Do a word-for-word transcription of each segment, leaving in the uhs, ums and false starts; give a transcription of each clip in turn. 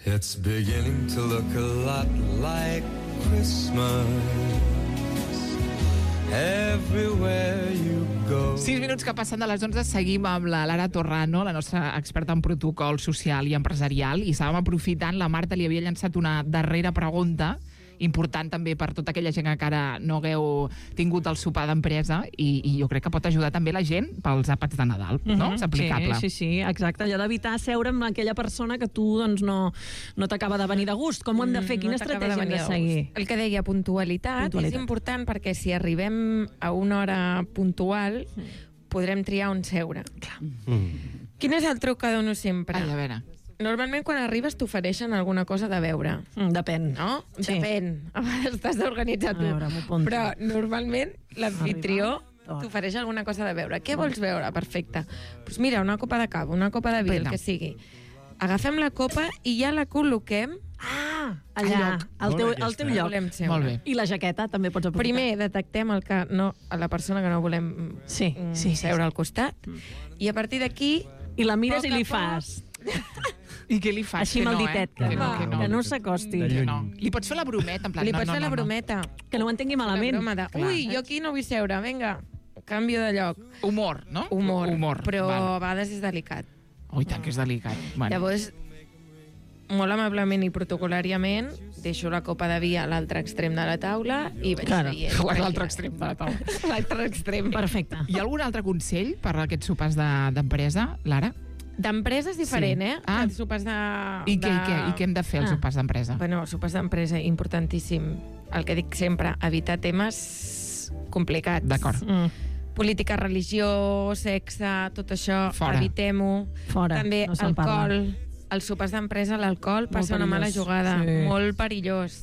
It's beginning to look a lot like Christmas everywhere you go. Sis minuts que passen de les onze, seguim amb la Lara Torrano, la nostra experta en protocol social i empresarial, i estàvem aprofitant, la Marta li havia llançat una darrera pregunta, important també per tota aquella gent que encara no hagueu tingut el sopar d'empresa, i, i jo crec que pot ajudar també la gent pels àpats de Nadal, no? Mm-hmm. És aplicable. Sí, sí, sí, exacte. Allò d'evitar seure amb aquella persona que tu doncs, no, no t'acaba de venir de gust. Com ho hem de fer? Quina no estratègia hem de seguir? El que deia, puntualitat, puntualitat, és important perquè si arribem a una hora puntual podrem triar on seure. Clar. Mm. Quin és el truc que dono sempre? Ai, a veure. Normalment quan arribes t'ofereixen alguna cosa de beure. Mm, depèn. No? Sí. Depèn. A vegades t'has d'organitzar tu. Veure, però normalment l'anfitrió t'ofereix alguna cosa de beure. Què vols beure? Perfecte. Pues mira, una copa de cava, una copa de vi, el que sigui. Agafem la copa i ja la col·loquem Ah, allà, al teu, al teu lloc. Molt bé. I la jaqueta també pots aprofitar. Primer detectem el que no, a la persona que no volem sí, sí, sí, seure sí. al costat, i a partir d'aquí... I la mires i li fas... I què li fas? Així amb el ditet, que, que, no, no, que, no. que no s'acosti. No. Li pots fer la brometa, en plan... Li no, pots no, fer no, la brometa. No. Que no ho entengui malament. De, Ui, jo aquí no vull seure, vinga, canvio de lloc. Humor, no? Humor, Humor. però Val. a vegades és delicat. Oh, i tant que és delicat. Bueno. Llavors, molt amablement i protocolàriament, deixo la copa de vi a l'altre extrem de la taula i vaig claro. veient. A l'altre extrem de la taula. L'altre extrem. Perfecte. Hi ha algun altre consell per a aquests sopars d'empresa, de, Lara? D'empresa és diferent, sí. eh? Ah. Sopars de... I, de... què, i, què, I què hem de fer als ah. sopars d'empresa? Bueno, sopars d'empresa, importantíssim. El que dic sempre, evitar temes complicats. D'acord. Mm. Política, religió, sexe, tot això, Fora. Evitem-ho. Fora, També no alcohol. Parla. Els sopars d'empresa, l'alcohol passa una mala jugada. Sí. Molt perillós.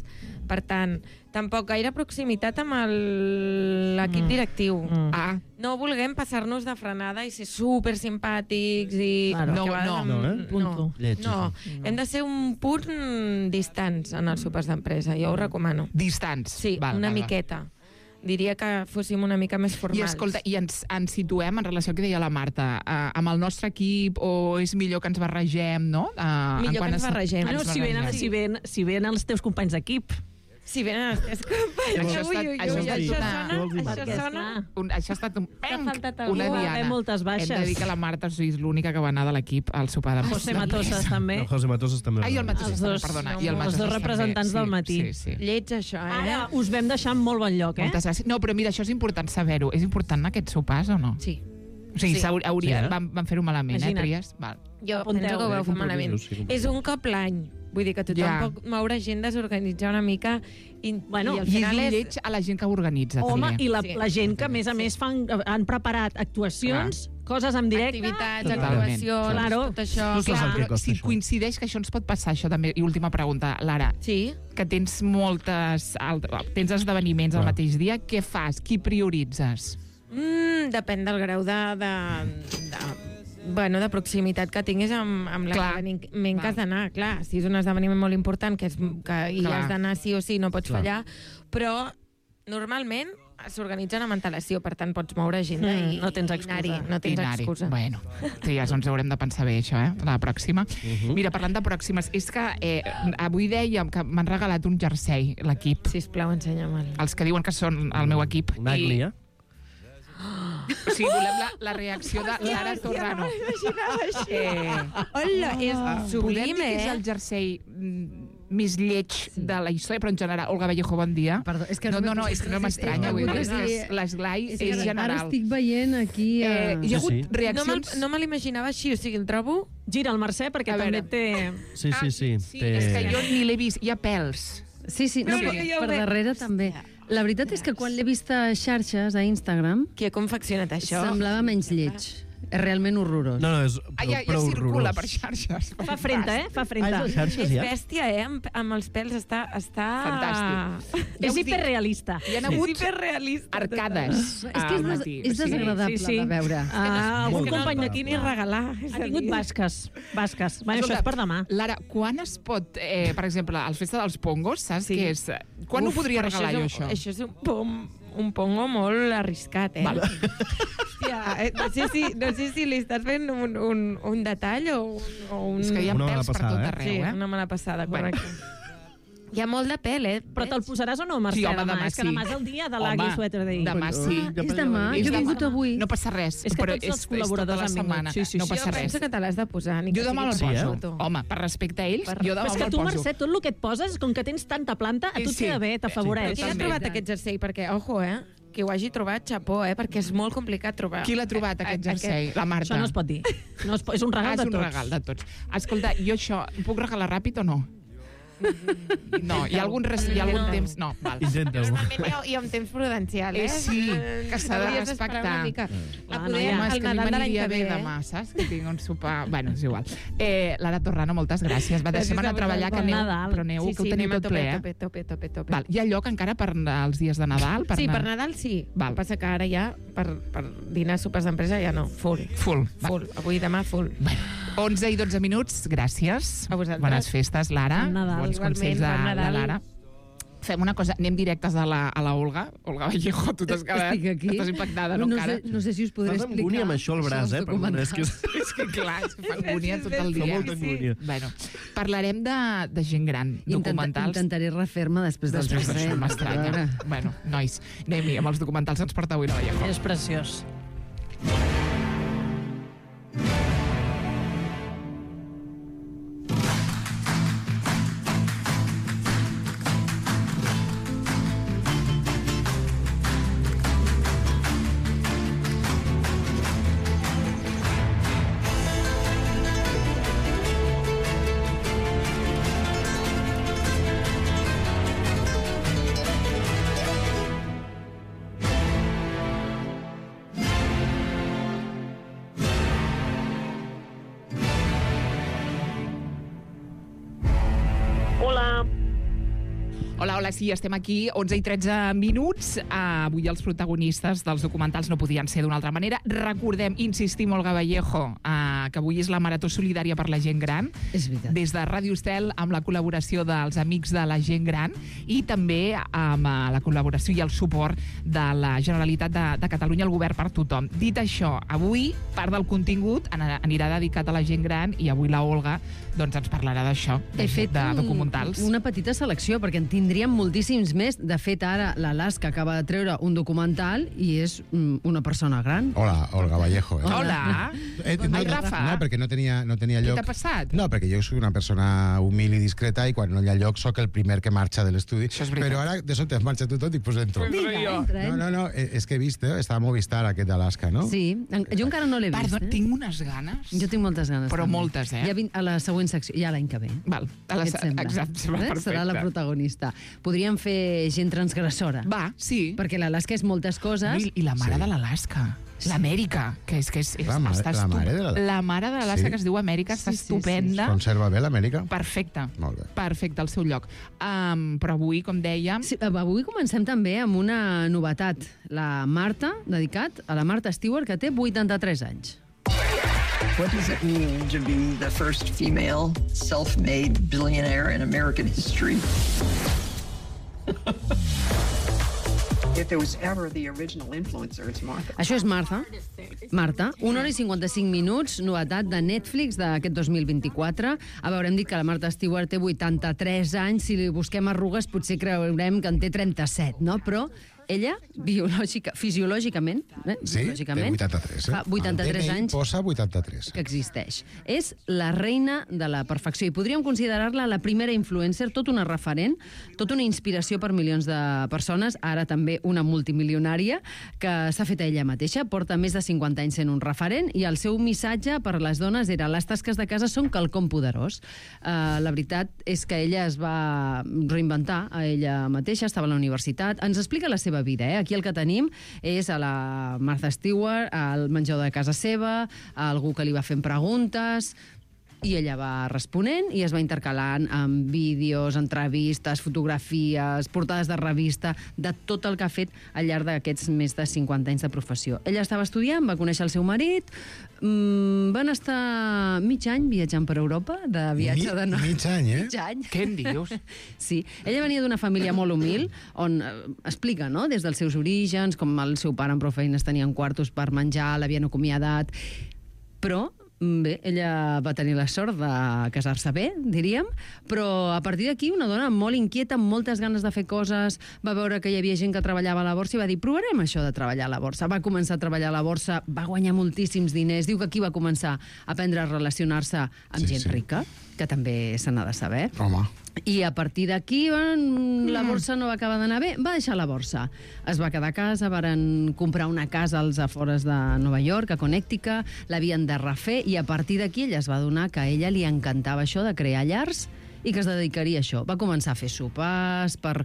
Per tant, tampoc gaire proximitat amb l'equip mm. directiu. Mm. Ah. No vulguem passar-nos de frenada i ser super simpàtics i... Claro. No, no, amb... no, eh? Punto. no, no. Hem de ser un punt distants en els sopars d'empresa, jo ho recomano. Distants? Sí, val, una val, miqueta. Diria que fóssim una mica més formals. I escolta, i ens, ens situem en relació al que deia la Marta, uh, amb el nostre equip, o és millor que ens barregem, no? Uh, millor que ens barregem. Ah, no, si venen, si, ven, si venen els teus companys d'equip. Si venen els teus companys. Això ha estat, això ha estat una... Això sona... Un, això ha estat un... Una una diana. moltes baixes. Hem de dir que la Marta és l'única que va anar de l'equip al sopar de José Matosas també. No, José Matosas també. Ai, el Matosas Els dos, perdona. no, I el els dos representants també. del matí. Sí, sí, sí. Lleig, això, eh? Ara us vam deixar en molt bon lloc, eh? Moltes gràcies. No, però mira, això és important saber-ho. És important aquests sopars o no? Sí. O sigui, Sí. hauria, Sí, eh? van, van fer-ho malament, Imagina't. eh, Tries? Val. Jo Apunteu. penso que ho veu fer Eh, malament. compromisos, sí, compromisos. És un cop l'any. Vull dir que tothom Ja. pot moure gent, desorganitzar una mica i, Bueno, i al I és final un és... lleig a la gent que ho organitza. Home, també. i la, Sí. la gent que, a més a més, fan, han preparat actuacions, coses en directe... activitats, Totalment. actuacions, Claro. tot això. Tu saps el Clar, que costa, si això. coincideix que això ens pot passar, això també, i última pregunta, Lara, Sí. que tens moltes... altres- tens esdeveniments al Clar. mateix dia, què fas? Qui prioritzes? Mm, depèn del grau de... de, de bueno, de proximitat que tinguis amb, amb Clar. l'esdeveniment que has d'anar. Clar, si és un esdeveniment molt important que, és, que hi Clar. has d'anar sí o sí, no pots Clar. fallar, però normalment s'organitzen amb antelació, per tant pots moure agenda Mm, i, no tens i excusa. anar-hi, no tens I anar-hi. excusa. Bueno, sí, ja ens haurem de pensar bé, això, eh? La pròxima. Mira, parlant de pròximes, és que eh, avui dèiem que m'han regalat un jersei, l'equip. Sisplau, ensenya'm-el. Els que diuen que són el meu equip. Nagli, I, eh? o sigui, volem la, la reacció de Lara Torrano. Eh, Hola, és Podem sublim, dir que és eh? el jersei mm, més lleig de la història, però en general, Olga Vallejo, bon dia. Perdó, és que no, no, només- no, és que no m'estranya, és- vull dir, és- és- l'esglai és, que és Ara general. estic veient aquí... Eh, Eh, hi ha hagut Sí, sí. No me'l reaccions... no me l'imaginava així, o sigui, el trobo... Gira el Mercè, perquè A també veure. té... Sí, sí, sí. Sí, té- és que jo ni l'he vist, hi ha pèls. sí, sí, no, Sí. per, Jo ho per veig. darrere també. La veritat és que quan l'he vist a xarxes, a Instagram, Qui ha confeccionat això? semblava menys lleig. És realment horrorós. No, no, és Ah, ja, ja prou circula horrorós. per xarxes. Fa frenta, eh? Fa Ah, frenta. és a xarxes, És ja? bèstia, eh? Amb, amb els pèls està... està... Fantàstic. És hiperrealista. Hi ha hagut hiperrealista. arcades És que és, al des, matí. és O sigui, desagradable sí, sí. de veure. Ah, algun És que no company el d'aquí pots ni regalar. és ha a tingut dir. basques. Basques. Bueno, això Escolta, és per demà. Lara, quan es pot, eh, per exemple, al Festa dels Pongos, saps Sí. què és? Quan Uf, ho podria però regalar jo, és un, això? Això és un pom un pongo molt arriscat, eh? Val. Hòstia, eh, no, sé si, no sé si li estàs fent un, un, un detall o un... O un... És que hi ha Una mala pèls per passada, tot eh? arreu, Sí, eh? una mala passada, Bueno. correcte. Hi ha molt de pèl, eh? Però te'l posaràs o no, Mercè, Sí, home, demà? demà És que sí. demà és el dia de Home, l'Agui Sweater Day. demà sí. Ah, és demà? És Jo he demà. vingut avui. No passa res. És que però tots els és, col·laboradors és tota la han vingut. setmana. Sí, sí, no sí. passa Jo res. penso que te l'has de posar. Ni Jo que demà me'l sigui poso. per foto. Home, per respecte a ells, jo demà Però és que me'l tu, poso. Mercè, tot el que et poses, com que tens tanta planta, a tu et Sí. queda bé, t'afavoreix. Qui l'ha També. trobat aquest jersei? Perquè, ojo, eh? Que ho hagi trobat, xapó, eh? Perquè és molt complicat trobar. Qui l'ha trobat, aquest jersei? La Marta. Això no es pot dir. No es pot, és un regal Ah, de és un tots. regal de tots. Escolta, jo això, ho puc regalar ràpid o no? No, hi ha algun, res, hi ha algun No. temps... No, val. Intenta-ho. Normalment hi ha, hi ha un temps prudencial, eh? Eh, sí, que s'ha de Hauries d'esperar respectar. una mica. Clar, A no, poder, ja. Home, és el que a mi Nadal de l'any m'aniria que bé ve, eh? demà, saps? Que tinc un sopar... Bueno, és igual. Eh, Lara Torrano, moltes gràcies. Va, Gràcies deixem anar a a treballar, que vosaltres. aneu, Bon Nadal. però aneu, Sí, que ho sí, teniu anem a tot ple, eh? tope, tope, tope, tope. Val, hi ha lloc encara per als dies de Nadal? Per Sí, anar- per Nadal sí. Val. El que passa que ara ja, per, per dinar, sopars d'empresa, ja no. Full. Full. Va. Full. Avui i demà, full. onze i dotze minuts, gràcies. A vosaltres. Bones festes, Lara. Bon Nadal. Bons Igualment, consells de, bon de Nadal. Lara. Fem una cosa, anem directes a la, a la Olga. Olga Vallejo, tu t'has quedat... Estic aquí. Estàs impactada, no, no, encara? sé, no sé si us podré Estàs amb explicar. angúnia amb això al braç, dels eh? Perdona, és que és... És que clar, es fa angúnia tot el Fa dia. molta angúnia. Bueno, parlarem de, de gent gran, Intenta, documentals. intentaré refer-me després del Després jersei. d'això m'estranya. A veure. Bueno, nois, anem-hi, amb els documentals ens porta avui la Vallejo. És preciós. Hola, hola, sí, estem aquí, onze i tretze minuts. Uh, avui els protagonistes dels documentals no podien ser d'una altra manera. Recordem, insistim, Olga Vallejo, uh, que avui és la Marató Solidària per la Gent Gran. És veritat. Des de Ràdio Estel, amb la col·laboració dels Amics de la Gent Gran i també amb uh, la col·laboració i el suport de la Generalitat de, de Catalunya, el govern per tothom. Dit això, avui part del contingut anirà dedicat a la gent gran i avui la Olga doncs, ens parlarà d'això, de, He fet de un, documentals. una petita selecció, perquè en tindríem moltíssims més. De fet, ara l'Alaska acaba de treure un documental i és mm, una persona gran. Hola, Olga Vallejo. Eh? Hola! Eh, Ai, Rafa. No, perquè no tenia, no tenia Què lloc. t'ha passat? No, perquè jo soc una persona humil i discreta i quan no hi ha lloc sóc el primer que marxa de l'estudi. Això és veritat. Però ara de sobte marxa tu tot i pues entro. Vinga, Vinga, jo. entra, No, entra. no, no, eh, és que he vist, eh? Estava a Movistar aquest d'Alaska, no? Sí, en- jo encara no l'he vist. Perdó, eh? tinc unes ganes. Jo tinc moltes ganes. Però també. moltes, eh? Ja vin, a la següent secció, ja l'any que ve. Val, a la, Què et sembla? exacte, va, Eh? perfecte. Serà la protagonista. Podríem fer gent transgressora. Va, sí. Perquè l'Alaska és moltes coses. I, I la mare Sí. de l'Alaska. L'Amèrica, que és que és, és La mare- està la estup- mare de la- la mare de l'Alaska, Sí? que es diu Amèrica, està Sí, sí, sí. estupenda. Conserva bé l'Amèrica? Perfecte. Molt bé. Perfecte, al seu lloc. Um, però avui, com dèiem... Sí, avui comencem també amb una novetat. La Marta, dedicat a la Marta Stewart, que té vuitanta-tres anys. What does it mean to be the first female self-made billionaire in American history? If there was ever the original influencer, it's Martha. Això és Marta. Marta, una hora i cinquanta-cinc minuts, novetat de Netflix d'aquest dos mil vint-i-quatre. A veure, hem dit que la Marta Stewart té vuitanta-tres anys. Si li busquem arrugues potser creurem que en té trenta-set, no? Però ella, biològica, fisiològicament, eh? Sí, té biològicament, vuitanta-tres. Eh? fa vuitanta-tres El D N I anys posa vuitanta-tres. que existeix. És la reina de la perfecció i podríem considerar-la la primera influencer, tot una referent, tot una inspiració per milions de persones, ara també una multimilionària, que s'ha fet a ella mateixa, porta més de cinquanta anys sent un referent i el seu missatge per a les dones era les tasques de casa són quelcom poderós. Uh, la veritat és que ella es va reinventar a ella mateixa, estava a la universitat, ens explica la seva vida. Eh? Aquí el que tenim és a la Martha Stewart, al menjador de casa seva, a algú que li va fent preguntes. I ella va responent i es va intercalant amb vídeos, entrevistes, fotografies, portades de revista, de tot el que ha fet al llarg d'aquests més de cinquanta anys de professió. Ella estava estudiant, va conèixer el seu marit, mmm, van estar mig any viatjant per Europa, de viatge de... Mi, mig any, eh? Mig any. Què en dius? Sí. Ella venia d'una família molt humil, on eh, explica, no?, des dels seus orígens, com el seu pare amb prou feines tenien quartos per menjar, l'havien acomiadat, però bé, ella va tenir la sort de casar-se bé, diríem, però a partir d'aquí una dona molt inquieta, amb moltes ganes de fer coses, va veure que hi havia gent que treballava a la borsa i va dir, provarem això de treballar a la borsa. Va començar a treballar a la borsa, va guanyar moltíssims diners, diu que aquí va començar a aprendre a relacionar-se amb Sí, gent sí. rica, que també se n'ha de saber. Home. I a partir d'aquí la borsa no va acabar d'anar bé, va deixar la borsa. Es va quedar a casa, varen comprar una casa als afores de Nova York, a Connecticut, l'havien de refer, i a partir d'aquí ella es va adonar que a ella li encantava això de crear llars i que es dedicaria a això. Va començar a fer sopars per...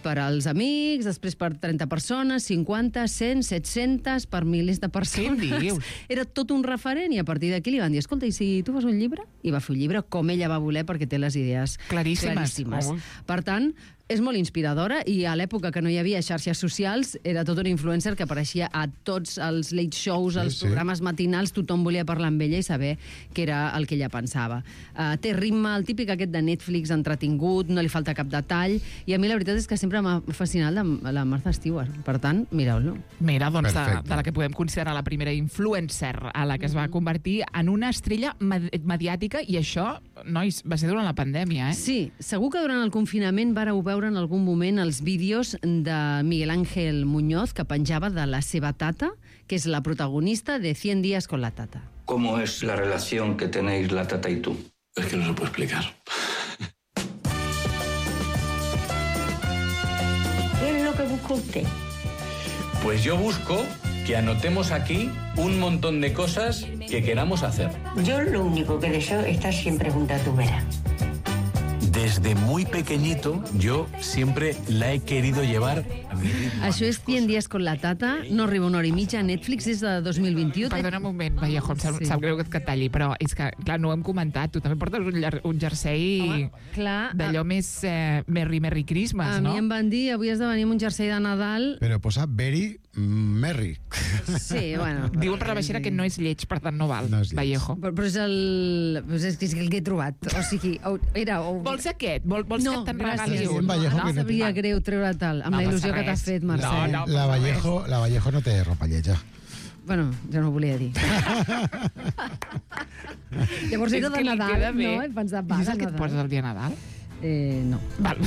per als amics, després per trenta persones, cinquanta, cent, set-centes, per milers de persones. Què dius? Era tot un referent i a partir d'aquí li van dir, escolta, i si tu fas un llibre? I va fer un llibre com ella va voler perquè té les idees Claríssimes. claríssimes. Oh. Per tant, és molt inspiradora i a l'època que no hi havia xarxes socials era tot un influencer que apareixia a tots els late shows, als Sí, sí. programes matinals, tothom volia parlar amb ella i saber què era el que ella pensava. Uh, té ritme, el típic aquest de Netflix entretingut, no li falta cap detall, i a mi la veritat és que sempre m'ha fascinat la, la Martha Stewart. Per tant, mireu-lo. Mira, doncs, de, Perfecte. de la que podem considerar la primera influencer a la que es va convertir en una estrella med mediàtica, i això, nois, va ser durant la pandèmia, eh? Sí, segur que durant el confinament vareu veure en algun moment els vídeos de Miguel Ángel Muñoz que penjava de la seva tata, que és la protagonista de cien días con la tata. ¿Cómo es la relación que tenéis la tata y tú? Es que no se puede explicar. ¿Qué es lo que busca usted? Pues yo busco que anotemos aquí un montón de cosas que queramos hacer. Yo lo único que deseo es estar siempre junto a tu vera. Desde muy pequeñito yo siempre la he querido llevar a mi ritmo. Això és cien días con la tata, no arriba una hora i mitja, Netflix és de dos mil vint-i-u. Perdona un moment, Vallejo, em sap, Sí. sap greu que et talli, però és que, clar, no ho hem comentat. Tu també portes un, llar- un jersei Home, clar, d'allò més eh, Merry Merry Christmas, A no? mi em van dir, avui has de venir amb un jersei de Nadal. Però posa very merry. Sí, bueno. Diuen per la baixera que no és lleig, per tant no val, No és lleig. Vallejo. Però, però és el... Però és que és el que he trobat. O sigui, o- era... O... Vols aquest? Vol, vols No, que te'n gràcies. regali Sí, un? Vallejo, no? que no Sabria té- greu treure tal, amb No la passa il·lusió que t'ha res. fet, Mercè. No, no. La Vallejo, la Vallejo no té ropa lletja. Bueno, ja no ho volia dir. Llavors És era de que li Nadal, queda bé. no? He pensat, va, I és de el que et Nadal. poses el dia de Nadal? Eh, no. Val.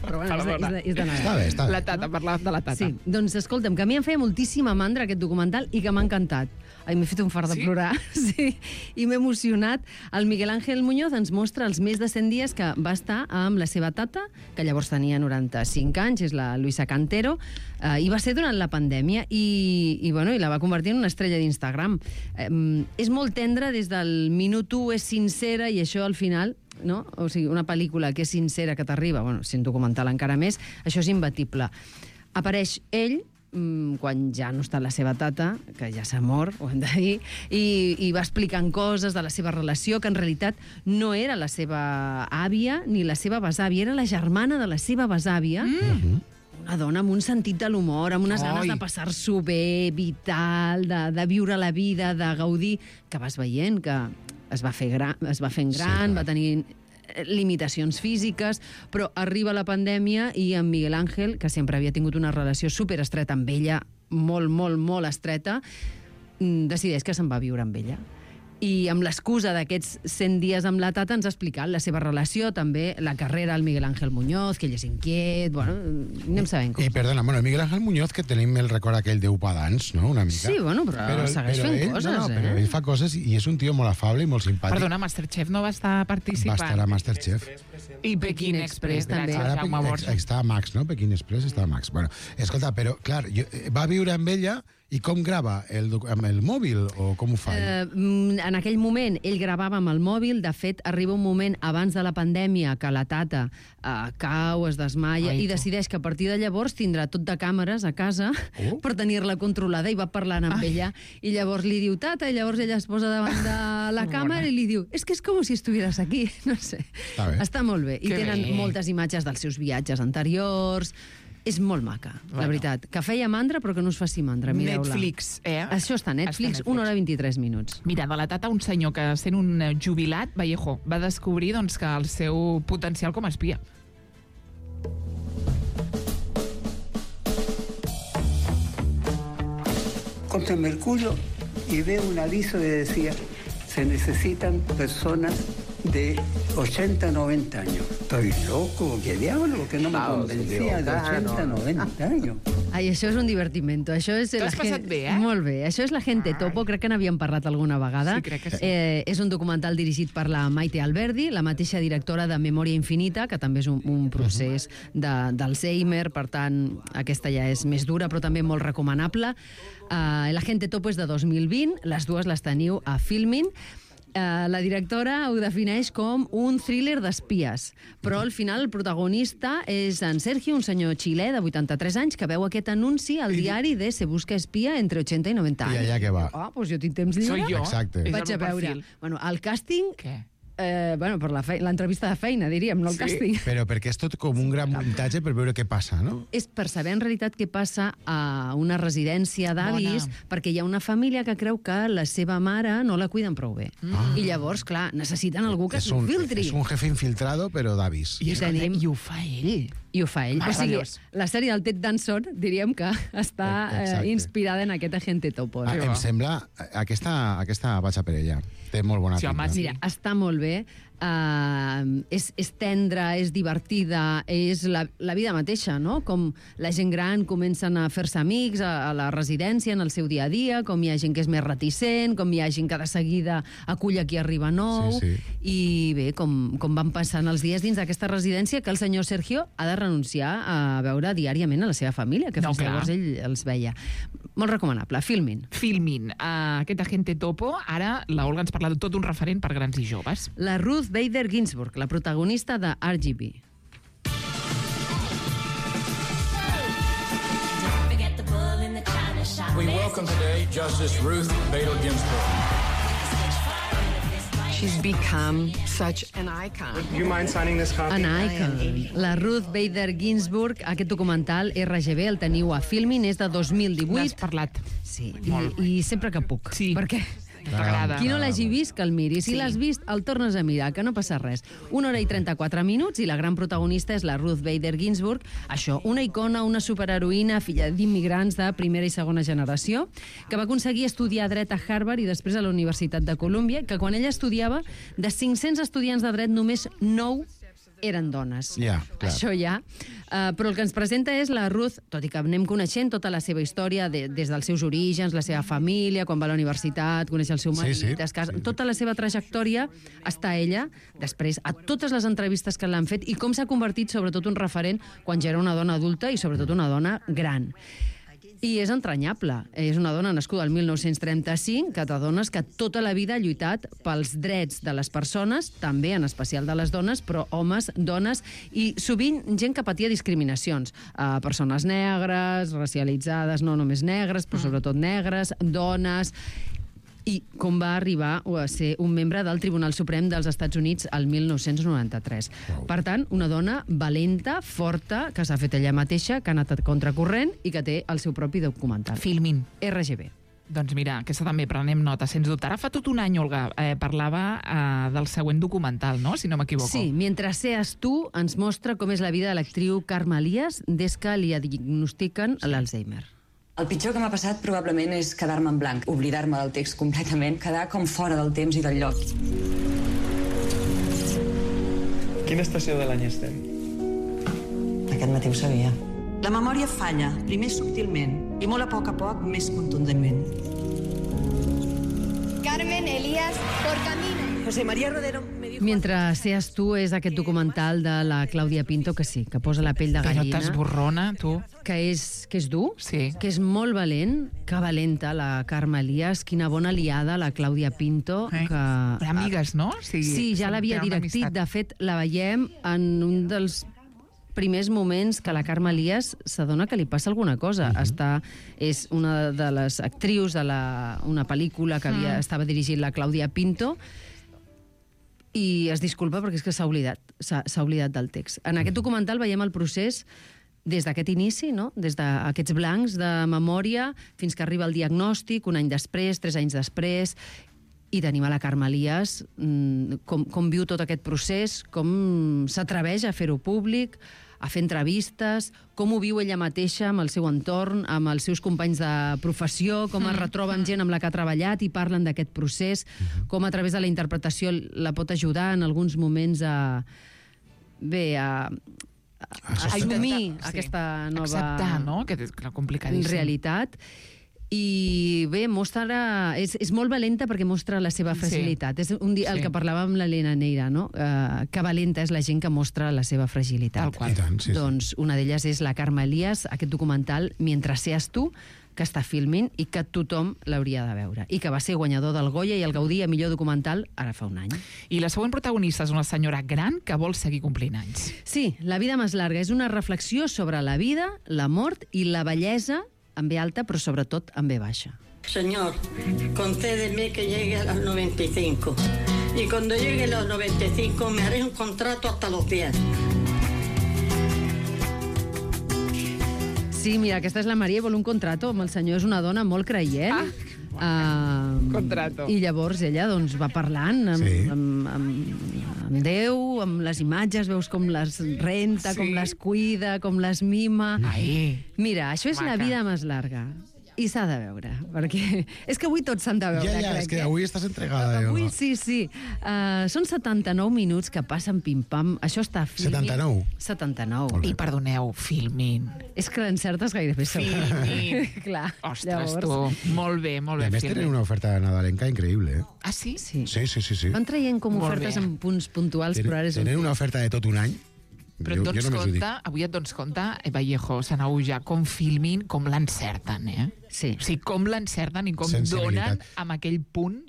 Però bueno, és de, és, de, és de Nadal. Està bé, està bé. La tata, parlàvem de la tata. Sí, doncs escolta'm, que a mi em feia moltíssima mandra aquest documental i que m'ha encantat. Ai, m'he fet un fart de Sí? plorar. Sí, i m'he emocionat. El Miguel Ángel Muñoz ens mostra els més de cent dies que va estar amb la seva tata, que llavors tenia noranta-cinc anys, és la Luisa Cantero, eh, i va ser durant la pandèmia i, i, bueno, i la va convertir en una estrella d'Instagram. Eh, és molt tendre des del minut u, és sincera, i això al final, no? O sigui, una pel·lícula que és sincera, que t'arriba, bueno, si un documental encara més, això és imbatible. Apareix ell, mm, quan ja no està la seva tata, que ja s'ha mort, ho hem de dir, i, i va explicant coses de la seva relació, que en realitat no era la seva àvia ni la seva besàvia, era la germana de la seva besàvia, mm. una dona amb un sentit de l'humor, amb unes ganes Oi. de passar-s'ho bé, vital, de, de viure la vida, de gaudir, que vas veient que es va fer gran, es va fent gran, Sí, va tenir limitacions físiques, però arriba la pandèmia i en Miguel Ángel, que sempre havia tingut una relació superestreta amb ella, molt, molt, molt estreta, mm, decideix que se'n va a viure amb ella. I amb l'excusa d'aquests cent dies amb la tata ens ha explicat la seva relació, també la carrera al Miguel Ángel Muñoz, que ell és inquiet, bueno, anem sabent I coses. perdona, bueno, Miguel Ángel Muñoz, que tenim el record aquell d'Upadans, no?, una mica. Sí, bueno, però segueix fent ell, coses, no, no, però eh? ell fa coses i és un tio molt afable i molt simpàtic. Perdona, Masterchef no va estar Va participant. estar a Masterchef. I Pequín Express, també. Ara Gràcies, Jaume Pequín- Borja. està a Max, no? Pequín Express està a Max. Bueno, escolta, però, clar, jo, eh, va viure amb ella I com grava? El, amb el mòbil o com ho fa? Eh, en aquell moment ell gravava amb el mòbil. De fet, arriba un moment abans de la pandèmia que la tata eh, cau, es desmaia Ai, i tu. decideix que a partir de llavors tindrà tot de càmeres a casa Oh. per tenir-la controlada, i va parlant amb Ai. ella i llavors li diu tata, i llavors ella es posa davant de la càmera i li diu és que és com si estuvieras aquí. No sé. Està bé. Està molt bé. I Que tenen bé. moltes imatges dels seus viatges anteriors. És molt maca, la Bueno. veritat. Que feia mandra, però que no us faci mandra. Mireu-la. Netflix, eh? Això està a Netflix, Està a Netflix. una hora vint-i-tres minuts. Mira, de la tata, un senyor que, sent un eh, jubilat, Vallejo, va descobrir doncs, que el seu potencial com a espia. Contra Mercurio y veo un aviso que decía se necesitan personas de ochenta, noventa años. Estoy loco, ¿qué diablo? Que no me convencía de ochenta, noventa años. Ai, això és un divertimento. Això és T'ho la has passat gen- bé, eh? Molt bé. Això és la Gente Topo, crec que n'havíem parlat alguna vegada. Sí, crec que sí. Eh, és un documental dirigit per la Maite Alberdi, la mateixa directora de Memòria Infinita, que també és un, un procés de- d'Alzheimer, per tant, aquesta ja és més dura, però també molt recomanable. Eh, la Gente Topo és de dos mil vint, les dues les teniu a Filmin. Uh, la directora ho defineix com un thriller d'espies, però al final el protagonista és en Sergio, un senyor xilè de vuitanta-tres anys, que veu aquest anunci al diari de Se busca espia entre ochenta i noventa anys. I allà què va? Ah, doncs jo tinc temps lliure. Soy jo. Exacte. És Vaig el a meu veure. perfil. Bueno, el càsting... Què? Eh, bueno, per la fei- l'entrevista de feina, diríem, no el Sí. càsting. Però perquè és tot com un gran muntatge per veure què passa, no? És per saber en realitat què passa a una residència d'avis, Bona. perquè hi ha una família que creu que la seva mare no la cuiden prou bé. Mm. I llavors, clar, necessiten algú que és s'ho un, filtri. és un jefe infiltrado, però d'avis. I, escolta, Tenim- I ho fa ell. I ho fa ell. O sigui, Meravellós. la sèrie del Ted Danson, diríem que està eh, Exacte. inspirada en aquest Agente Topo. Ah, em sembla... Aquesta, aquesta vaig a per ella. Té molt bona Sí, home, pinta. sí. Mira, està molt bé. Uh, és, és tendra, és divertida, és la, la vida mateixa, no? Com la gent gran comencen a fer-se amics a, a la residència, en el seu dia a dia, com hi ha gent que és més reticent, com hi ha gent que de seguida acull a qui arriba nou, Sí, sí. i bé, com, com van passant els dies dins d'aquesta residència, que el senyor Sergio ha de renunciar a veure diàriament a la seva família, que No, fins clar. llavors ell els veia. Molt recomanable, Filmin. Filmin. Uh, aquest Agente Topo, ara la Olga ens parla de tot un referent per grans i joves. La Ruth Bader Ginsburg, la protagonista de R G B. We welcome today Justice Ruth Bader Ginsburg. She's become such an icon. Do you mind signing this copy? An Icon. La Ruth Bader Ginsburg, aquest documental R G B, el teniu a Filmin, és de dos mil divuit. N'has parlat. Sí, i, i sempre que puc. Sí. Perquè T'agrada. qui no l'hagi vist, que el miri. Si Sí. l'has vist, el tornes a mirar, que no passa res. Una hora i trenta-quatre minuts, i la gran protagonista és la Ruth Bader Ginsburg. Això, una icona, una superheroïna, filla d'immigrants de primera i segona generació, que va aconseguir estudiar dret a Harvard i després a la Universitat de Colúmbia, que quan ella estudiava, de cinc-cents estudiants de dret, només nou eren dones. Ja, clar. Això ja. Uh, però el que ens presenta és la Ruth, tot i que anem coneixent tota la seva història de, des dels seus orígens, la seva família, quan va a la universitat, coneix el seu Sí, marit, sí. es casa... Sí, sí. Tota la seva trajectòria està ella, després, a totes les entrevistes que l'han fet, i com s'ha convertit sobretot un referent quan ja era una dona adulta i sobretot una dona gran. I és entranyable. És una dona nascuda el mil nou-cents trenta-cinc, que t'adones que tota la vida ha lluitat pels drets de les persones, també en especial de les dones, però homes, dones, i sovint gent que patia discriminacions. Uh, persones negres, racialitzades, no només negres, però sobretot negres, dones... I com va arribar a ser un membre del Tribunal Suprem dels Estats Units el mil nou-cents noranta-tres. Wow. Per tant, una dona valenta, forta, que s'ha fet ella mateixa, que ha anat a contracorrent i que té el seu propi documental. Filmin. R G B. Doncs mira, aquesta també prenem nota, sens dubte. Ara fa tot un any, Olga, eh, parlava eh, del següent documental, no?, si no m'equivoco. Sí, Mientras seas tú ens mostra com és la vida de l'actriu Carme Elias des que li diagnostiquen l'Alzheimer. El pitjor que m'ha passat probablement és quedar-me en blanc, oblidar-me del text completament, quedar com fora del temps i del lloc. Quina estació de l'any estem? Aquest matí ho sabia. La memòria falla, primer subtilment, i molt a poc a poc més contundentment. Carmen Elías por camino. José María Rodero me dijo... Mientras seas tu és aquest documental de la Clàudia Pinto, que sí, que posa la pell de Però gallina. t'esborrona, tu. Que és, que és dur, sí. que és molt valent, que valenta la Carme Elias, quina bona aliada la Clàudia Pinto. Eh? Que... Amigues, no? Sí, sí, ja l'havia directit. De fet, la veiem en un dels primers moments que la Carme Elias s'adona que li passa alguna cosa. Uh -huh. Està, és una de les actrius de la, una pel·lícula que havia, uh -huh. estava dirigint la Clàudia Pinto, i es disculpa perquè és que s'ha oblidat, s'ha oblidat del text. En aquest documental veiem el procés des d'aquest inici, no? Des d'aquests blancs de memòria fins que arriba el diagnòstic, un any després, tres anys després, i tenim a la Carme Elias com, com viu tot aquest procés, com s'atreveix a fer-ho públic, a fer entrevistes, com ho viu ella mateixa amb el seu entorn, amb els seus companys de professió, com es retroba amb gent amb la que ha treballat i parlen d'aquest procés, com a través de la interpretació la pot ajudar en alguns moments a... bé, a... a assumir sí. aquesta nova... Acceptar, no?, que és complicadíssim. Realitat. I bé, mostra... És, és molt valenta perquè mostra la seva fragilitat. Sí. És un dia, el sí. que parlàvem amb l'Helena Neira, no? Uh, que valenta és la gent que mostra la seva fragilitat. I tant, sí, doncs sí. una d'elles és la Carme Elias, aquest documental Mientras seas tu, que està filmint i que tothom l'hauria de veure. I que va ser guanyador del Goya i el Gaudí a millor documental ara fa un any. I la següent protagonista és una senyora gran que vol seguir complint anys. Sí, La vida més larga és una reflexió sobre la vida, la mort i la bellesa, en B alta, però sobretot en B baixa. Señor, concédeme que llegue a los noventa y cinco. Y cuando llegue a los noventa y cinco me haré un contrato hasta los pies. Sí, mira, aquesta és la Maria i vol un contrato amb el senyor. És una dona molt creient. Ah, uh, contrato. I llavors ella doncs, va parlant amb, sí. amb, amb, amb Déu, amb les imatges, veus com les renta, sí. com les cuida, com les mima. Ai. Mira, això és Maca. La vida més larga. I s'ha de veure, perquè és que avui tots s'han de veure. Ja, ja, crec, és que eh? avui estàs entregada. Avui jo, sí, sí. Uh, són setanta-nou minuts que passen pim-pam. Això està filming. setanta-nou? setanta-nou. I perdoneu, filmin. És que l'encertes gairebé segur. Filmin. Clar. Ostres, llavors... tu. Molt bé, molt bé. I a més tenen una oferta nadalenca increïble. Eh? Ah, sí? Sí. Sí, sí, sí. sí. Van traient com Molt ofertes bé. en punts puntuals, Tenen, però ara és un... tenen una oferta de tot un any. Però jo, et dones jo només ho dic. compte, avui et dones compte, eh, Vallejo, Sanau, ja, com filmin, com l'encerten, eh? Sí. O sigui, com l'encerten i com Sensibilitat. donen amb aquell punt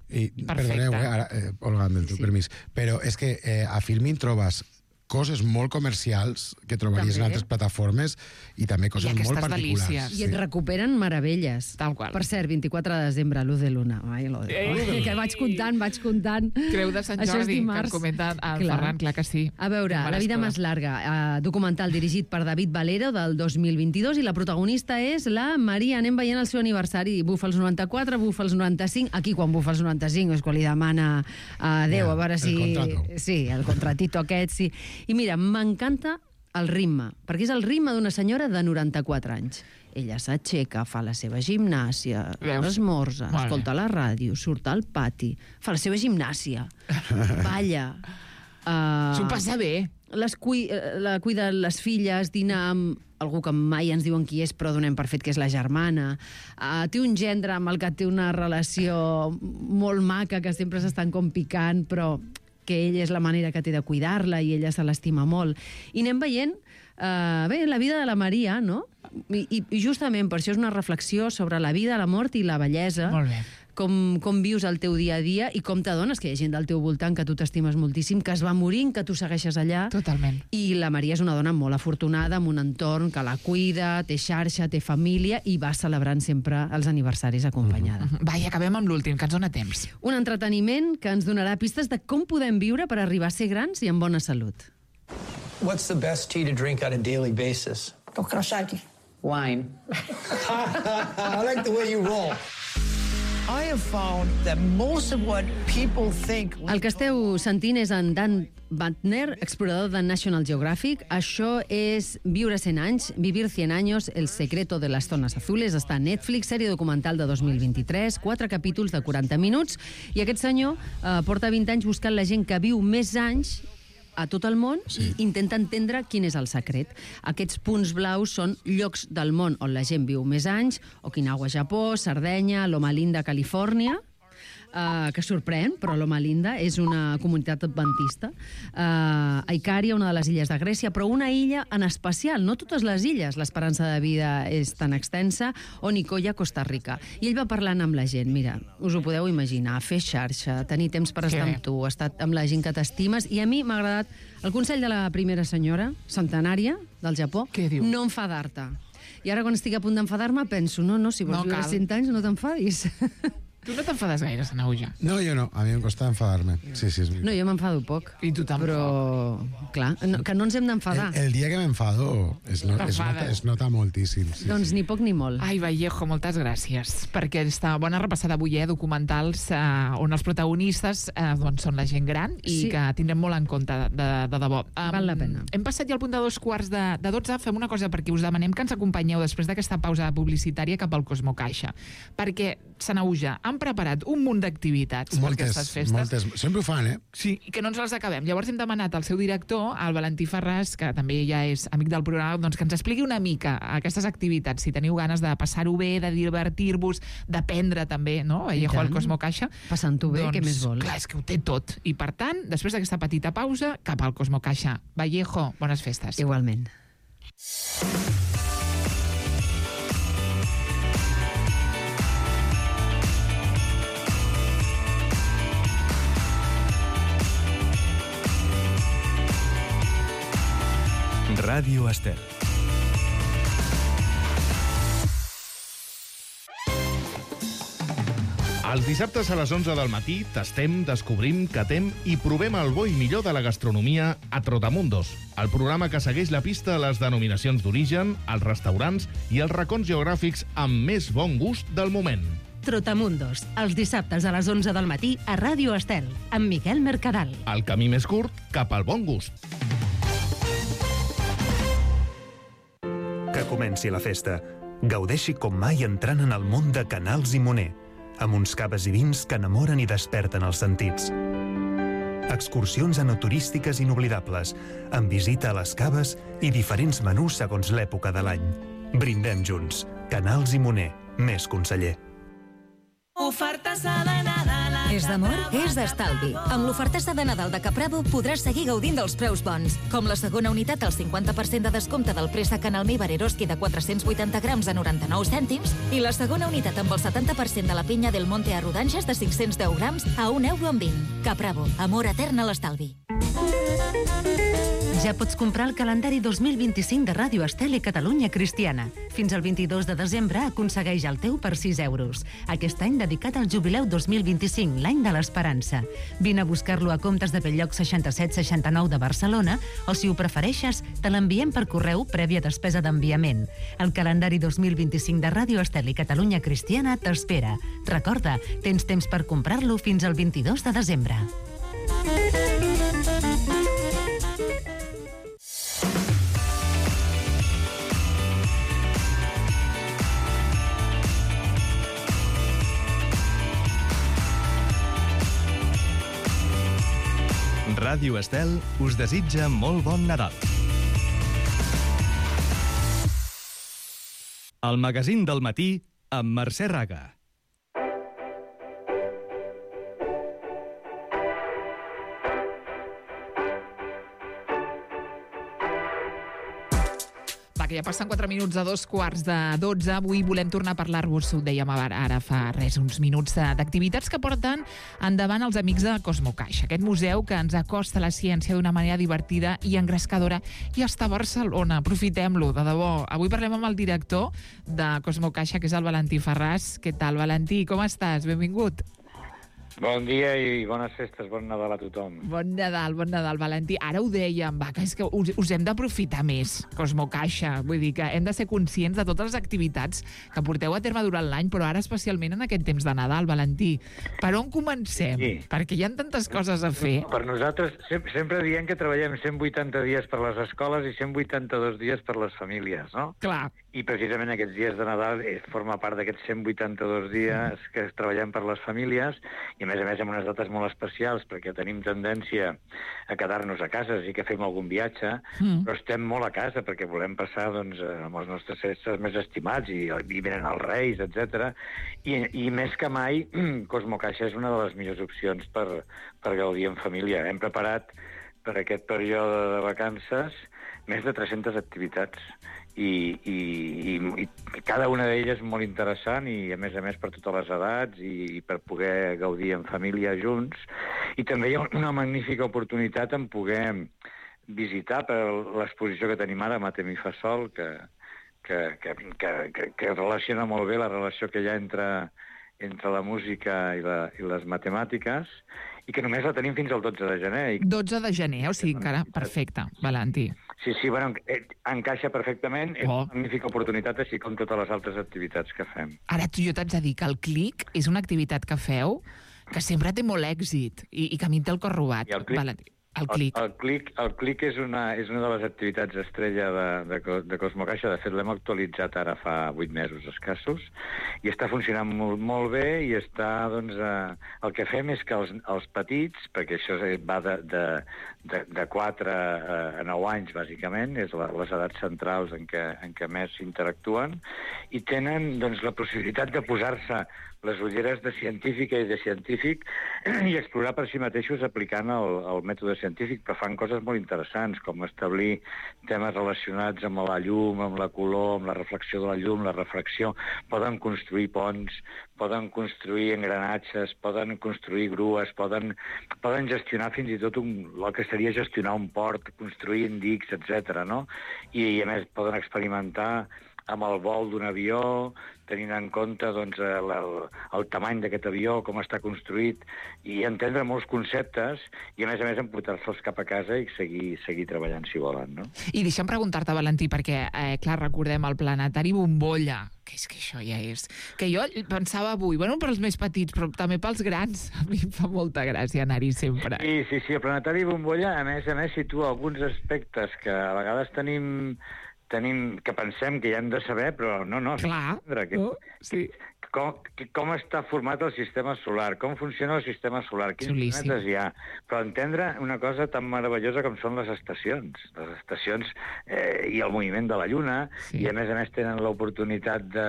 I, perfecte. perdoneu, eh, ara, eh, Olga, amb el teu Sí. permís, però és que eh, a Filmin trobes coses molt comercials que trobaries També. en altres plataformes i també coses I aquestes molt particulars. delícies. I et recuperen meravelles. Tal qual. Per cert, vint-i-quatre de desembre, Luz de Luna. Ai, lo de... Ei! Que vaig comptant, vaig comptant. Creu de Sant Això és Jordi, que dimarts. en comenta el Clar. Ferran, clar que sí. A veure, Em La vida faràs més larga, eh, documental dirigit per David Valero del dos mil vint-i-dos, i la protagonista és la Maria. Anem veient el seu aniversari. Bufa els noranta-quatre, bufa els noranta-cinc. Aquí, quan bufa els noranta-cinc, és quan li demana a Déu, Ja, a veure el si... contrato. Sí, el contratito aquest, sí. I mira, m'encanta el ritme, perquè és el ritme d'una senyora de noranta-quatre anys. Ella s'aixeca, fa la seva gimnàsia, Veus? esmorza, Vale. escolta la ràdio, surt al pati, fa la seva gimnàsia, balla... Uh, S'ho passa bé. Les cui la cuida les filles, dina amb algú que mai ens diuen qui és, però donem per fet que és la germana. Uh, té un gendre amb el que té una relació molt maca, que sempre s'estan com picant, però que ella és la manera que té de cuidar-la i ella se l'estima molt. I anem veient uh, bé, la vida de la Maria, no? I, i, I justament per això és una reflexió sobre la vida, la mort i la bellesa. Molt bé. Com, com vius el teu dia a dia i com t'adones que hi ha gent del teu voltant que tu t'estimes moltíssim, que es va morint, que tu segueixes allà. Totalment. I la Maria és una dona molt afortunada, amb un entorn que la cuida, té xarxa, té família i va celebrant sempre els aniversaris acompanyada. Mm-hmm. Va, i acabem amb l'últim, que ens dona temps. Un entreteniment que ens donarà pistes de com podem viure per arribar a ser grans i amb bona salut. What's the best tea to drink on a daily basis? Tokrasaki. Wine. I like the way you roll. I have found that most of what people think... El que esteu sentint és en Dan Bantner, explorador de National Geographic. Això és Viure cent anys, Vivir cien años, El secreto de las zonas azules. Està a Netflix, sèrie documental de dos mil vint-i-tres, quatre capítols de quaranta minuts. I aquest senyor eh, porta vint anys buscant la gent que viu més anys a tot el món sí. i intenta entendre quin és el secret. Aquests punts blaus són llocs del món on la gent viu més anys: Okinawa, Japó, Sardenya, Loma Linda, Califòrnia. uh, que sorprèn, però Loma Linda és una comunitat adventista. Uh, Icària, una de les illes de Grècia, però una illa en especial, no totes les illes, l'esperança de vida és tan extensa, o Nicoya, Costa Rica. I ell va parlant amb la gent, mira, us ho podeu imaginar, fer xarxa, tenir temps per estar amb tu, estar amb la gent que t'estimes, i a mi m'ha agradat el consell de la primera senyora, centenària, del Japó, no enfadar-te. I ara, quan estic a punt d'enfadar-me, penso, no, no, si vols viure cent anys, no t'enfadis. Tu no t'enfades gaire, Sanahuja? No, jo no. A mi em costa enfadar-me. Sí, sí, és no, jo m'enfado poc. I tu tampoc. Però, clar, no, que no ens hem d'enfadar. El, el dia que m'enfado es, no, es, nota, es nota moltíssim. Sí, doncs sí. ni poc ni molt. Ai, Vallejo, moltes gràcies per aquesta bona repassada avui, eh, documentals eh, on els protagonistes eh, doncs són la gent gran i sí. que tindrem molt en compte de, de, de debò. Um, Val la pena. Hem passat ja al punt de dos quarts de, de dotze. Fem una cosa, perquè us demanem que ens acompanyeu després d'aquesta pausa publicitària cap al Cosmo Caixa. Perquè, Sanahuja, han preparat un munt d'activitats per aquestes festes. Moltes, sempre ho fan, eh? Sí, i que no ens les acabem. Llavors hem demanat al seu director, al Valentí Ferràs, que també ja és amic del programa, doncs que ens expliqui una mica aquestes activitats, si teniu ganes de passar-ho bé, de divertir-vos, d'aprendre també, no? Vallejo al Cosmo Caixa. Passant-ho bé, doncs, què més vols? Clar, és que ho té tot. I per tant, després d'aquesta petita pausa, cap al Cosmo Caixa. Vallejo, bones festes. Igualment. Ràdio Estel. Els dissabtes a les onze del matí tastem, descobrim, catem i provem el bo i millor de la gastronomia a Trotamundos, el programa que segueix la pista a les denominacions d'origen, els restaurants i els racons geogràfics amb més bon gust del moment. Trotamundos, els dissabtes a les onze del matí a Ràdio Estel, amb Miquel Mercadal. El camí més curt cap al bon gust. Que comenci la festa. Gaudeixi com mai entrant en el món de Canals i Moner, amb uns caves i vins que enamoren i desperten els sentits. Excursions enoturístiques inoblidables, amb visita a les caves i diferents menús segons l'època de l'any. Brindem junts. Canals i Moner, més conseller. Ofertassa de Nadal. És d'amor? És d'estalvi. Amb l'ofertassa de Nadal de Capravo podràs seguir gaudint dels preus bons, com la segona unitat al cinquanta per cent de descompte del préssec en almíbar Eroski de quatre-cents vuitanta grams a noranta-nou cèntims i la segona unitat amb el setanta per cent de la pinya del Monte a rodanges de cinc-cents deu grams a un euro amb vint. Capravo, amor etern a l'estalvi. Ja pots comprar el calendari dos mil vint-i-cinc de Ràdio Estel i Catalunya Cristiana. Fins al vint-i-dos de desembre aconsegueix el teu per sis euros. Aquest any dedicat al jubileu dos mil vint-i-cinc, l'any de l'esperança. Vine a buscar-lo a Comptes de Belllloc seixanta-set seixanta-nou de Barcelona o, si ho prefereixes, te l'enviem per correu prèvia despesa d'enviament. El calendari dos mil vint-i-cinc de Ràdio Estel i Catalunya Cristiana t'espera. Recorda, tens temps per comprar-lo fins al vint-i-dos de desembre. Ràdio Estel us desitja molt bon Nadal. El magazín del matí amb Mercè Raga. Que ja passen quatre minuts a dos quarts de dotze. Avui volem tornar a parlar-vos, ho dèiem ara fa res, uns minuts d'activitats que porten endavant els amics de Cosmo Caixa, aquest museu que ens acosta a la ciència d'una manera divertida i engrescadora, i està a Barcelona. Aprofitem-lo, de debò. Avui parlem amb el director de Cosmo Caixa, que és el Valentí Ferràs. Què tal, Valentí? Com estàs? Benvingut. Bon dia i bones festes, bon Nadal a tothom. Bon Nadal, bon Nadal, Valentí. Ara ho dèiem, va, que és que us, us hem d'aprofitar més, Cosmo Caixa. Vull dir que hem de ser conscients de totes les activitats que porteu a terme durant l'any, però ara especialment en aquest temps de Nadal, Valentí. Per on comencem? Sí. Perquè hi ha tantes coses a fer. Per nosaltres sempre, sempre diem que treballem cent vuitanta dies per les escoles i cent vuitanta-dos dies per les famílies, no? Clar. I precisament aquests dies de Nadal eh, forma part d'aquests cent vuitanta-dos dies que treballem per les famílies i, a més a més, amb unes dates molt especials perquè tenim tendència a quedar-nos a casa, sí que fem algun viatge, mm. però estem molt a casa perquè volem passar doncs, amb els nostres éssers més estimats i, i venen els Reis, etcètera. I, I més que mai, Cosmo Caixa és una de les millors opcions per, per gaudir en família. Hem preparat per aquest període de vacances més de tres-centes activitats. I, i, i, i cada una d'elles molt interessant i, a més a més, per totes les edats i, i per poder gaudir en família junts. I també hi ha una magnífica oportunitat en poder visitar per l'exposició que tenim ara, Matem i fa sol, que, que, que, que, que, que relaciona molt bé la relació que hi ha entre, entre la música i, la, i les matemàtiques, i que només la tenim fins al dotze de gener. I... dotze de gener, o sigui, encara perfecte, Valentí. Sí, sí, bueno, encaixa perfectament, és oh. una magnífica oportunitat, així com totes les altres activitats que fem. Ara, tu jo t'haig de dir que el Clic és una activitat que feu que sempre té molt èxit i, i que a mi em té el cor robat, Valentí. El Clic. El, el Clic, el Clic és, una, és una de les activitats estrella de, de, de Cosmo Caixa. De fet, l'hem actualitzat ara fa vuit mesos escassos i està funcionant molt, molt bé i està, doncs, eh, el que fem és que els, els petits, perquè això va de, de, de, de quatre a nou anys, bàsicament, és la, les edats centrals en què, en què més interactuen, i tenen, doncs, la possibilitat de posar-se les ulleres de científica i de científic i explorar per si mateixos aplicant el, el mètode científic, però fan coses molt interessants, com establir temes relacionats amb la llum, amb la color, amb la reflexió de la llum, la refracció. Poden construir ponts, poden construir engranatges, poden construir grues, poden, poden gestionar fins i tot un, el que seria gestionar un port, construir indics, etcètera, no? I, i a més poden experimentar amb el vol d'un avió, tenint en compte doncs, el, el, el tamany d'aquest avió, com està construït, i entendre molts conceptes, i a més a més emportar-se'ls cap a casa i seguir, seguir treballant si volen, no? I deixa'm preguntar-te, Valentí, perquè, eh, clar, recordem el Planetari Bombolla, que és que això ja és... Que jo pensava avui, bueno, per als més petits, però també pels grans, a mi em fa molta gràcia anar-hi sempre. Sí, sí, sí, el Planetari Bombolla, a més a més, situa alguns aspectes que a vegades tenim... tenim, que pensem que ja hem de saber, però no, no. Clar, que, oh, sí. Com, que, com està format el sistema solar, com funciona el sistema solar, quins Xulíssim. planetes hi ha, però entendre una cosa tan meravellosa com són les estacions, les estacions eh, i el moviment de la Lluna, sí. I a més a més tenen l'oportunitat de,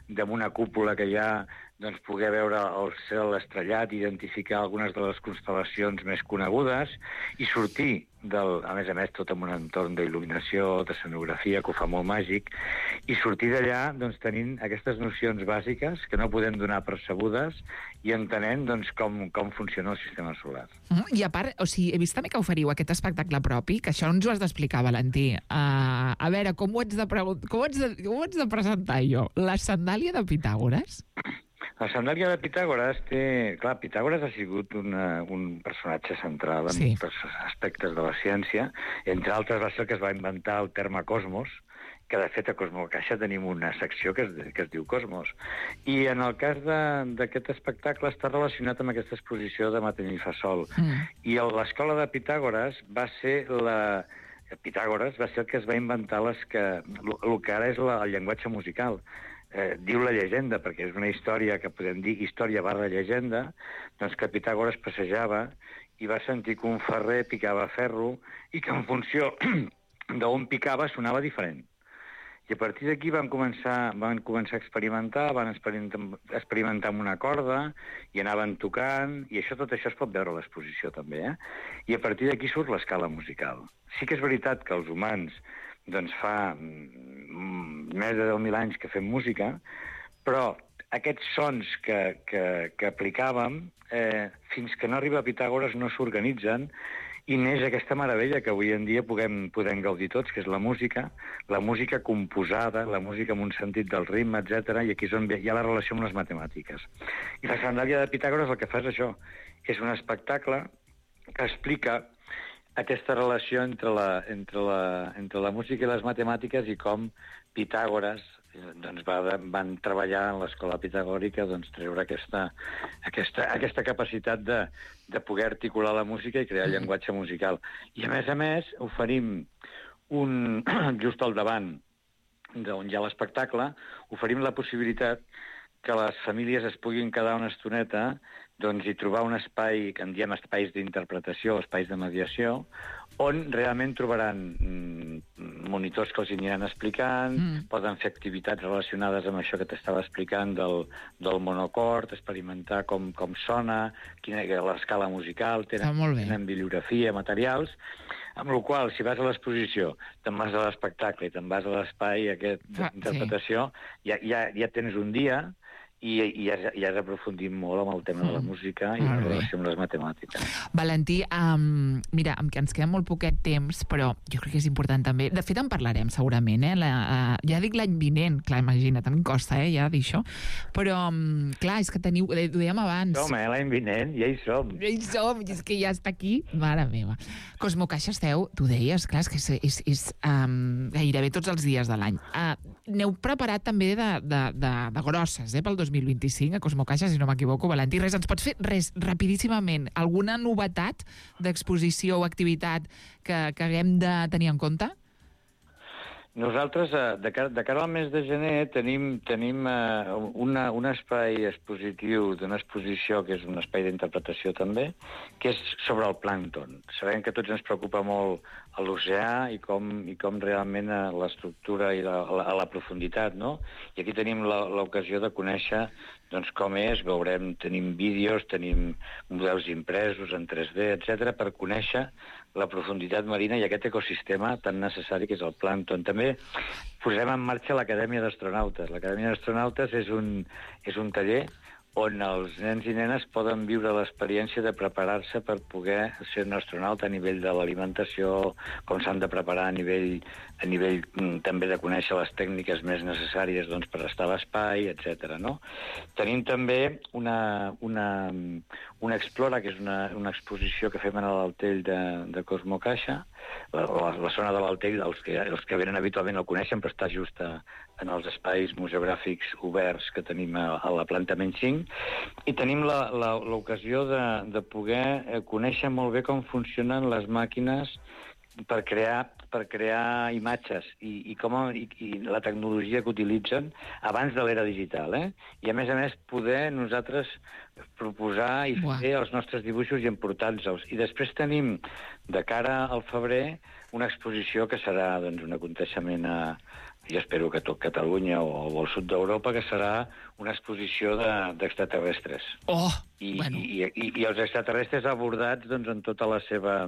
de una cúpula que hi ha, doncs, poder veure el cel estrellat, identificar algunes de les constel·lacions més conegudes i sortir, del, a més a més, tot en un entorn d'il·luminació, d'escenografia, que ho fa molt màgic, i sortir d'allà doncs, tenint aquestes nocions bàsiques que no podem donar percebudes i entenent doncs, com, com funciona el sistema solar. Mm, I a part, o sigui, he vist també que oferiu aquest espectacle propi, que això ens ho has d'explicar, Valentí. Uh, a veure, com ho ets de, com ho ets de, com ho ets de presentar jo? La sandàlia de Pitàgores? La sandàlia de Pitàgores té... Clar, Pitàgores ha sigut una, un personatge central en sí. molts aspectes de la ciència. Entre altres va ser que es va inventar el terme cosmos, que de fet a Cosmo Caixa tenim una secció que es, que es diu Cosmos. I en el cas d'aquest espectacle està relacionat amb aquesta exposició de Matem i fa sol. Mm. I l'escola de Pitàgores va ser la... Pitàgores va ser el que es va inventar les que, el que ara és la, el llenguatge musical. Eh, diu la llegenda, perquè és una història que podem dir història barra llegenda, doncs que Pitàgores passejava i va sentir que un ferrer picava ferro i que en funció d'on picava sonava diferent. I a partir d'aquí van començar, van començar a experimentar, van experimentar, experimentar amb una corda i anaven tocant, i això tot això es pot veure a l'exposició també, eh? I a partir d'aquí surt l'escala musical. Sí que és veritat que els humans doncs fa més de deu mil anys que fem música, però aquests sons que, que, que aplicàvem, eh, fins que no arriba a Pitàgores no s'organitzen, i neix aquesta meravella que avui en dia podem, podem gaudir tots, que és la música, la música composada, la música amb un sentit del ritme, etcètera, i aquí és on hi ha la relació amb les matemàtiques. I la sandàlia de Pitàgores el que fa és això, és un espectacle que explica aquesta relació entre la, entre, la, entre la música i les matemàtiques i com Pitàgores doncs, va, van treballar en l'escola pitagòrica doncs, treure aquesta, aquesta, aquesta capacitat de, de poder articular la música i crear llenguatge musical. I a més a més oferim un, just al davant d'on hi ha l'espectacle, oferim la possibilitat que les famílies es puguin quedar una estoneta doncs, i trobar un espai, que en diem espais d'interpretació, espais de mediació, on realment trobaran mm, monitors que els aniran explicant, mm. poden fer activitats relacionades amb això que t'estava explicant del, del monocord, experimentar com, com sona, quina és l'escala musical, tenen, tenen bibliografia, materials, amb la qual si vas a l'exposició, te'n vas a l'espectacle i te'n vas a l'espai aquest d'interpretació, sí. ja, ja, ja tens un dia i, i has, ja has aprofundit molt amb el tema mm. de la música i la relació amb les matemàtiques. Valentí, um, mira, em que ens queda molt poquet temps, però jo crec que és important també. De fet, en parlarem segurament, eh? La, uh, ja dic l'any vinent, clar, imagina't, a mi em costa, eh, ja dir això, però, um, clar, és que teniu, ho dèiem abans... Som, eh, l'any vinent, ja hi som. Ja hi som, és que ja està aquí, mare meva. Cosmo Caixa esteu, tu deies, clar, és que és, és, és um, gairebé tots els dies de l'any. Uh, n'heu preparat també de, de, de, de grosses, eh, pel dos mil vint-i-cinc, a Cosmo Caixa, si no m'equivoco, Valentí. Res, ens pots fer, res, rapidíssimament, alguna novetat d'exposició o activitat que, que haguem de tenir en compte? Nosaltres, de cara, de cara al mes de gener, tenim, tenim uh, una, un espai expositiu d'una exposició, que és un espai d'interpretació també, que és sobre el plàncton. Sabem que a tots ens preocupa molt l'oceà i com, i com realment l'estructura i la, la, la profunditat, no? I aquí tenim l'ocasió de conèixer doncs, com és, veurem, tenim vídeos, tenim models impresos en tres D, etcètera, per conèixer la profunditat marina i aquest ecosistema tan necessari que és el plàncton. També posem en marxa l'Acadèmia d'Astronautes. L'Acadèmia d'Astronautes és un, és un taller on els nens i nenes poden viure l'experiència de preparar-se per poder ser un astronauta a nivell de l'alimentació, com s'han de preparar a nivell, a nivell mm, també de conèixer les tècniques més necessàries doncs, per estar a l'espai, etcètera. No? Tenim també una, una, una Explora, que és una, una exposició que fem a l'Altell de, de Cosmo Caixa. La, la, la zona de l'Altell, els que, els que venen habitualment el coneixen, però està just a, en els espais museogràfics oberts que tenim a, a la planta menys cinc, i tenim l'ocasió de, de poder conèixer molt bé com funcionen les màquines per crear, per crear imatges i, i, com, i, i la tecnologia que utilitzen abans de l'era digital. Eh? I, a més a més, poder nosaltres proposar i fer Uau. els nostres dibuixos i emportar-los. I després tenim, de cara al febrer, una exposició que serà doncs, un aconteixement a, jo espero que tot Catalunya o, o al sud d'Europa, que serà una exposició d'extraterrestres. De, oh, I, bueno. i, i, I els extraterrestres abordats doncs, en tota la seva...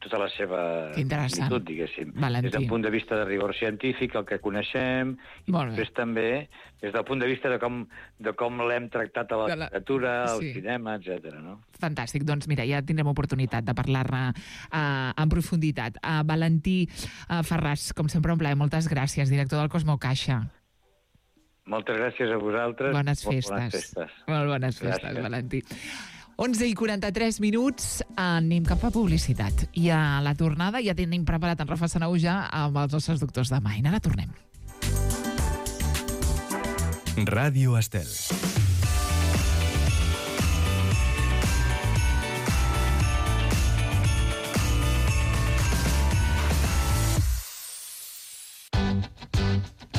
tota la seva magnitud, diguéssim. Valentí. Des del punt de vista de rigor científic, el que coneixem, i després també des del punt de vista de com, de com l'hem tractat a la, la... literatura, al sí. cinema, etcètera. No? Fantàstic. Doncs mira, ja tindrem oportunitat de parlar-ne uh, en profunditat. Uh, Valentí uh, Ferràs, com sempre un plaer, moltes gràcies, director del Cosmo Caixa. Moltes gràcies a vosaltres. Bones festes. Molt bones festes. Molt bones festes, gràcies. Valentí. onze i quaranta-tres minuts, anem cap a publicitat. I a la tornada ja tenim preparat en Rafa Sanauja amb els nostres doctors de Maina. Ara tornem. Ràdio Estel.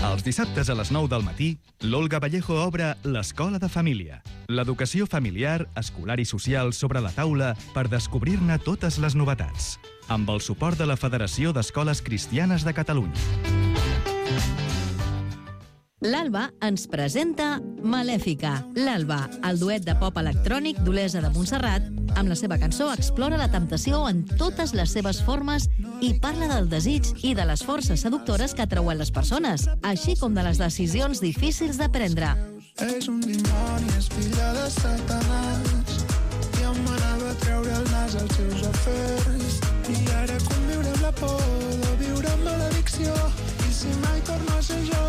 Els dissabtes a les nou del matí, l'Olga Vallejo obre l'Escola de Família. L'educació familiar, escolar i social sobre la taula per descobrir-ne totes les novetats. Amb el suport de la Federació d'Escoles Cristianes de Catalunya. L'Alba ens presenta Malèfica. L'Alba, el duet de pop electrònic d'Olesa de Montserrat, amb la seva cançó explora la temptació en totes les seves formes i parla del desig i de les forces seductores que atrauen les persones, així com de les decisions difícils de prendre. És un dimoni, és filla de Satanàs, i em manava a treure el nas als seus afers. I ara conviure amb la por de viure amb maledicció, i si mai torno a ser jo...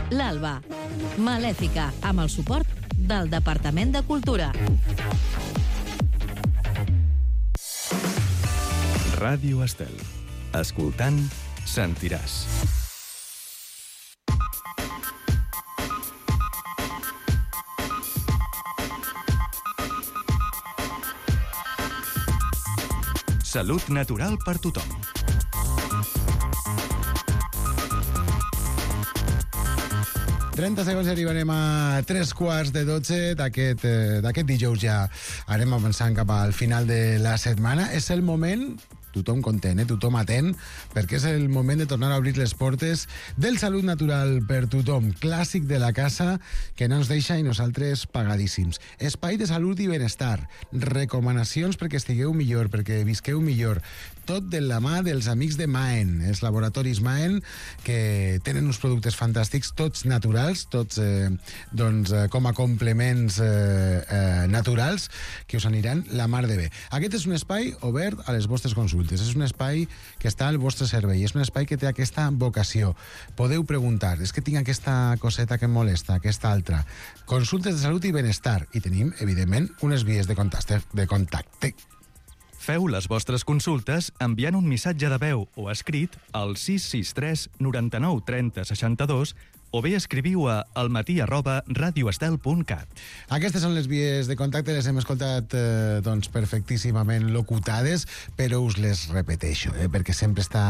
L'Alba, Malèfica, amb el suport del Departament de Cultura. Ràdio Estel. Escoltant, sentiràs. Salut natural per tothom. trenta segons i arribarem a tres quarts de dotze d'aquest eh, d'aquest dijous. Ja anem avançant cap al final de la setmana. És el moment... tothom content, eh? Tothom atent, perquè és el moment de tornar a obrir les portes del Salut Natural per tothom, clàssic de la casa que no ens deixa i nosaltres pagadíssims. Espai de salut i benestar, recomanacions perquè estigueu millor, perquè visqueu millor, tot de la mà dels amics de Maen, els laboratoris Maen, que tenen uns productes fantàstics, tots naturals, tots eh, doncs, eh, com a complements eh, eh, naturals, que us aniran la mar de bé. Aquest és un espai obert a les vostres consultes. És un espai que està al vostre servei, és un espai que té aquesta vocació. Podeu preguntar, és que tinc aquesta coseta que em molesta, aquesta altra. Consultes de salut i benestar. I tenim, evidentment, unes vies de contacte. De contacte. Feu les vostres consultes enviant un missatge de veu o escrit al sis sis tres noranta-nou trenta seixanta-dos o bé escriviu a almatí arroba radioestel punt cat. Aquestes són les vies de contacte, les hem escoltat eh, doncs, perfectíssimament locutades, però us les repeteixo, eh, perquè sempre està,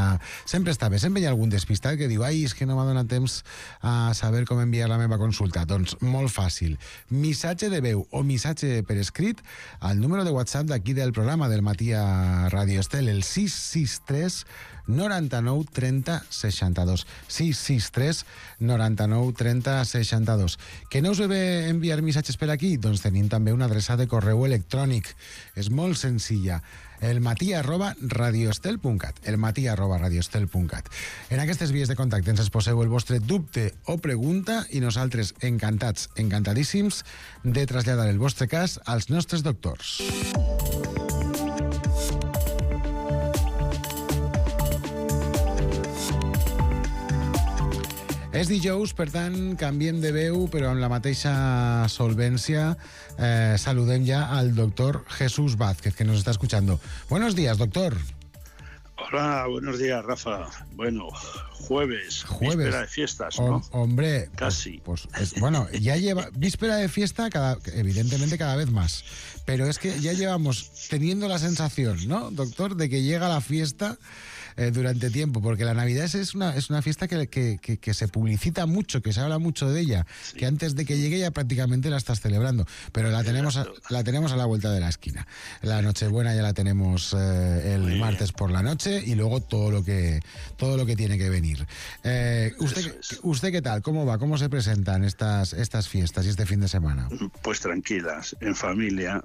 sempre està bé. Sempre hi ha algun despistat que diu ai, és que no m'ha donat temps a saber com enviar la meva consulta. Doncs molt fàcil. Missatge de veu o missatge per escrit al número de WhatsApp d'aquí del programa del matí a Radio Estel, el sis sis tres noranta-nou trenta seixanta-dos. sis sis tres noranta-nou trenta seixanta-dos. Que no us ve bé enviar missatges per aquí? Doncs tenim també una adreça de correu electrònic. És molt senzilla. elmatí arroba radioestel punt cat. elmatí arroba radioestel punt cat. En aquestes vies de contacte ens exposeu el vostre dubte o pregunta i nosaltres encantats, encantadíssims de traslladar el vostre cas als nostres doctors. És dijous, per tant, canviem de veu, però amb la mateixa solvència. Eh, saludem ja al doctor Jesús Vázquez, que nos está escuchando. Buenos días, doctor. Hola, buenos días, Rafa. Bueno, jueves, jueves. Víspera de fiestas, ¿no? O, hombre, casi. Pues, pues es, bueno, ya lleva víspera de fiesta, cada, evidentemente cada vez más. Pero es que ya llevamos teniendo la sensación, ¿no, doctor, de que llega la fiesta eh, durante tiempo, porque la Navidad es una, es una fiesta que, que, que, que se publicita mucho, que se habla mucho de ella, sí. Que antes de que llegue ya prácticamente la estás celebrando, pero la tenemos a, la tenemos a la vuelta de la esquina. La Nochebuena ya la tenemos eh, el Muy martes bien. Por la noche y luego todo lo que todo lo que tiene que venir. Eh, usted, ¿Usted qué tal? ¿Cómo va? ¿Cómo se presentan estas, estas fiestas y este fin de semana? Pues tranquilas, en familia,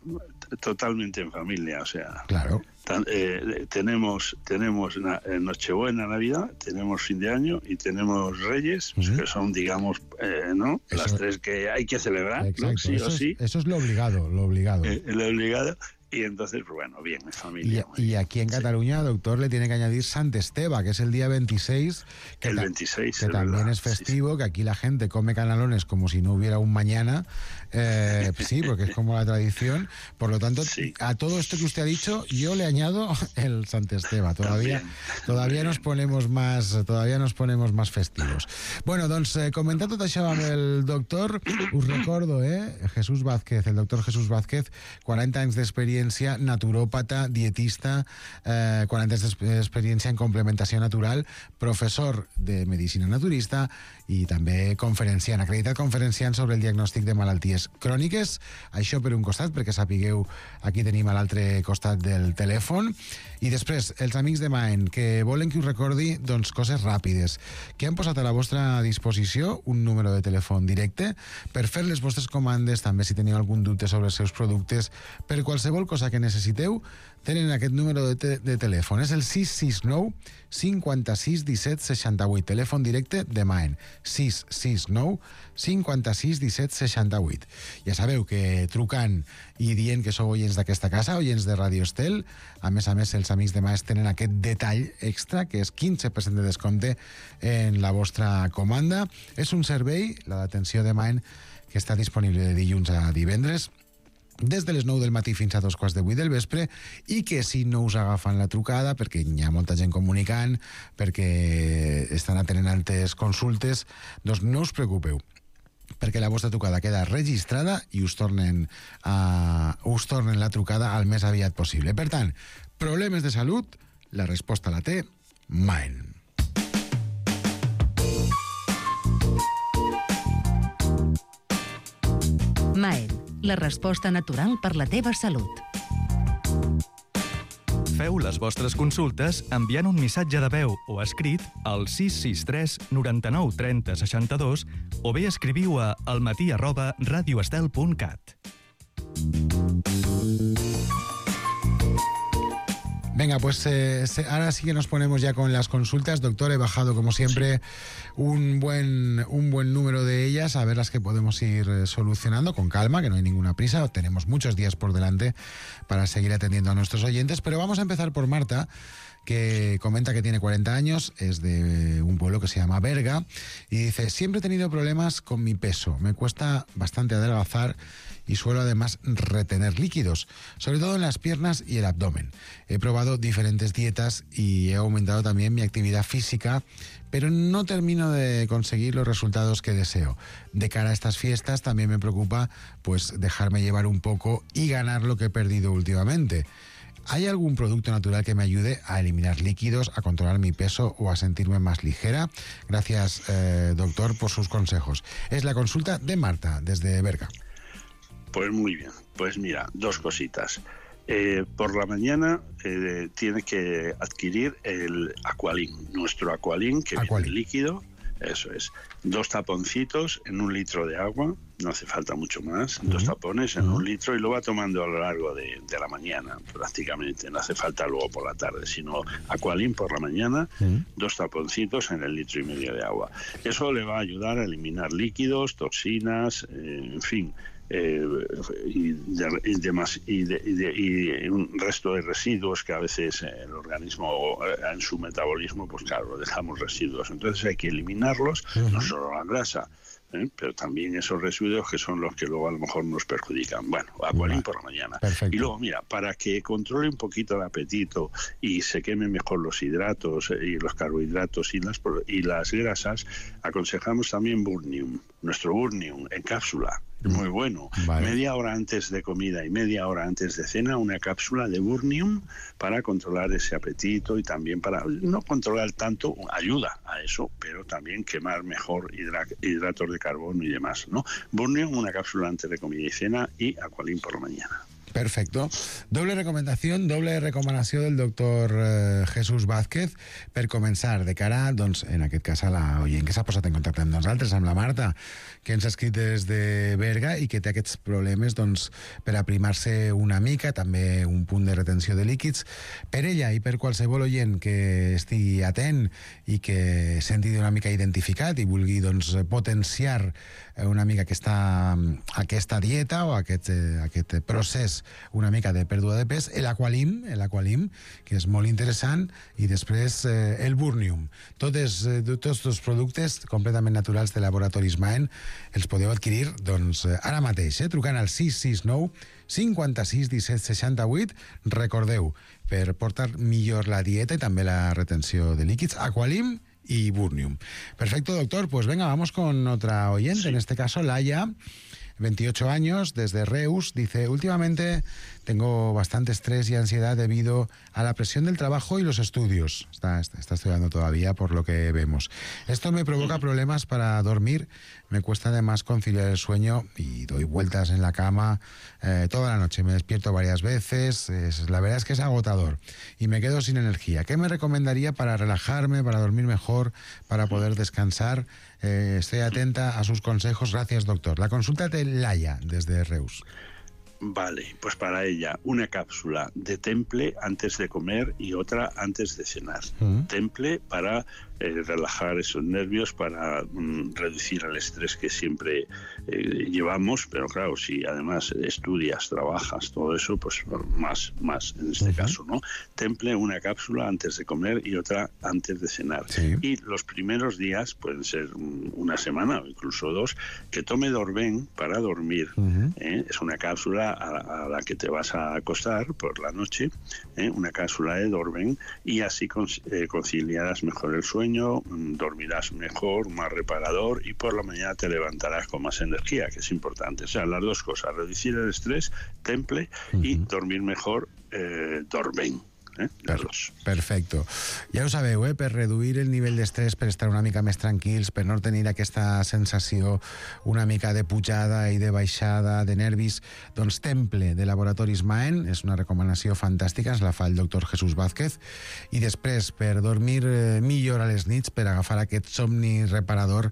totalmente en familia, o sea... Claro. Tan, eh, tenemos tenemos na, eh, Nochebuena, Navidad, tenemos fin de año y tenemos Reyes, uh-huh. que son, digamos, eh, ¿no? Eso, las tres que hay que celebrar, ¿no? Sí eso o sí. Es, eso es lo obligado, lo obligado. Eh, lo obligado. Y entonces, bueno, bien, en familia. Y, y aquí en Cataluña, sí. Doctor, le tiene que añadir Sant Esteve, que es el día veintiséis. Que el veintiséis, Que es también verdad. es festivo, sí, sí. que aquí la gente come canalones como si no hubiera un mañana. Eh, sí, porque es como la tradición. Por lo tanto, sí. A todo esto que usted ha dicho, yo le añado el Sant Esteve. Todavía, también, todavía también. nos ponemos más, todavía nos ponemos más festivos. Bueno, doncs, eh, comentant tot això amb el doctor, us recordo, eh, Jesús Vázquez, el doctor Jesús Vázquez, quaranta anys d'experiència, naturópata, dietista, eh, quaranta anys d'experiència en complementació natural, professor de medicina naturista i també conferenciant, acreditat conferenciant sobre el diagnòstic de malalties cròniques. Això per un costat, perquè sapigueu, aquí tenim a l'altre costat del telèfon. I després, els amics de Maen, que volen que us recordi doncs, coses ràpides, que han posat a la vostra disposició un número de telèfon directe per fer les vostres comandes, també si teniu algun dubte sobre els seus productes, per qualsevol cosa que necessiteu, tenen aquest número de, te de telèfon. És el sis sis nou cinquanta-sis disset seixanta-vuit, telèfon directe de Maen. sis sis nou cinquanta-sis disset seixanta-vuit. Ja sabeu que trucant i dient que sou oients d'aquesta casa, oients de Radio Estel, a més a més els amics de Maen tenen aquest detall extra, que és quinze per cent de descompte en la vostra comanda. És un servei, la d'atenció de Maen, que està disponible de dilluns a divendres, des de les nou del matí fins a dos quarts de vuit del vespre, i que si no us agafen la trucada, perquè hi ha molta gent comunicant, perquè estan atenent altres consultes, doncs no us preocupeu, perquè la vostra trucada queda registrada i us tornen, a, us tornen la trucada al més aviat possible. Per tant, problemes de salut, la resposta la té Maen. Maen, la resposta natural per la teva salut. Feu les vostres consultes enviant un missatge de veu o escrit al sis sis tres noranta-nou trenta seixanta-dos o bé escriviu a almatí arroba radioestel punt cat. Venga, pues eh, ahora sí que nos ponemos ya con las consultas. Doctor, he bajado como siempre un buen, un buen número de ellas, a ver las que podemos ir solucionando con calma, que no hay ninguna prisa. Tenemos muchos días por delante para seguir atendiendo a nuestros oyentes, pero vamos a empezar por Marta, que comenta que tiene cuarenta años, es de un pueblo que se llama Berga, y dice: siempre he tenido problemas con mi peso, me cuesta bastante adelgazar y suelo además retener líquidos, sobre todo en las piernas y el abdomen. He probado diferentes dietas y he aumentado también mi actividad física, pero no termino de conseguir los resultados que deseo. De cara a estas fiestas también me preocupa pues dejarme llevar un poco y ganar lo que he perdido últimamente. ¿Hay algún producto natural que me ayude a eliminar líquidos, a controlar mi peso o a sentirme más ligera? Gracias, eh, doctor, por sus consejos. Es la consulta de Marta, desde Berga. Pues muy bien. Pues mira, dos cositas. Eh, por la mañana eh, tiene que adquirir el Aqualin, nuestro Aqualin, que Aqualin. viene líquido. Eso es. Dos taponcitos en un litro de agua, no hace falta mucho más, uh-huh. dos tapones en uh-huh. un litro y lo va tomando a lo largo de, de la mañana, prácticamente. No hace falta luego por la tarde, sino Aqualin por la mañana, uh-huh. dos taponcitos en el litro y medio de agua. Eso le va a ayudar a eliminar líquidos, toxinas, eh, en fin, Eh, y, de, y, demás, y, de, y, de, y un resto de residuos que a veces el organismo en su metabolismo, pues claro, dejamos residuos, entonces hay que eliminarlos, uh-huh. no solo la grasa, ¿eh? pero también esos residuos que son los que luego a lo mejor nos perjudican. Bueno, Aqualin por la mañana. Perfecto. Y luego, mira, para que controle un poquito el apetito y se quemen mejor los hidratos y los carbohidratos y las, y las grasas, aconsejamos también Burnium, nuestro Burnium en cápsula. Muy bueno. Vale. Media hora antes de comida y media hora antes de cena, una cápsula de Burnium para controlar ese apetito y también para no controlar tanto, ayuda a eso, pero también quemar mejor hidra, hidratos de carbono y demás, ¿no? Burnium, una cápsula antes de comida y cena, y Aqualin por la mañana. Perfecto. Doble recomanació, doble recomanació del doctor eh, Jesús Vázquez per començar de cara, doncs, en aquest cas a la oient que s'ha posat en contacte amb nosaltres, amb la Marta, que ens ha escrit des de Berga i que té aquests problemes doncs, per aprimar-se una mica, també un punt de retenció de líquids. Per ella i per qualsevol oient que estigui atent i que senti una mica identificat i vulgui doncs, potenciar una mica aquesta, aquesta dieta o aquest, eh, aquest procés una mica de pèrdua de pes, l'Aqualim, l'Aqualim, que és molt interessant, i després eh, el Burnium. Totes, eh, tots els productes completament naturals de Laboratoris Maen els podeu adquirir doncs, ara mateix, eh, trucant al sis sis nou cinquanta-sis disset seixanta-vuit. Recordeu, per portar millor la dieta i també la retenció de líquids, Aqualim y Burnium. Perfecto, doctor. Pues venga, vamos con otra oyente, sí. En este caso Laia, veintiocho años, desde Reus. Dice: últimamente tengo bastante estrés y ansiedad debido a la presión del trabajo y los estudios. Está, está, está estudiando todavía, por lo que vemos. Esto me provoca problemas para dormir. Me cuesta además conciliar el sueño y doy vueltas en la cama eh, toda la noche. Me despierto varias veces. Es, la verdad es que es agotador y me quedo sin energía. ¿Qué me recomendaría para relajarme, para dormir mejor, para poder descansar? Eh, estoy atenta a sus consejos. Gracias, doctor. La consulta de Laia, desde Reus. Vale, pues para ella una cápsula de Temple antes de comer y otra antes de cenar. Uh-huh. Temple para eh, relajar esos nervios, para mm, reducir el estrés que siempre eh, llevamos, pero claro, si además estudias, trabajas, todo eso, pues más, más en este uh-huh. caso, ¿no? Temple, una cápsula antes de comer y otra antes de cenar. Sí. Y los primeros días, pueden ser una semana o incluso dos, que tome Dorben para dormir. Uh-huh. ¿eh? Es una cápsula a la que te vas a acostar por la noche, ¿eh? una cápsula de Dorben, y así conciliarás mejor el sueño, dormirás mejor, más reparador, y por la mañana te levantarás con más energía, que es importante. O sea, las dos cosas: reducir el estrés, Temple, uh-huh. y dormir mejor, eh, Dorben. Eh? Per, perfecte. Ja ho sabeu, eh? Per reduir el nivell d'estrès, per estar una mica més tranquils, per no tenir aquesta sensació una mica de pujada i de baixada de nervis, doncs Temple de Laboratoris Maen és una recomanació fantàstica, ens la fa el doctor Jesús Vázquez, i després per dormir millor a les nits, per agafar aquest somni reparador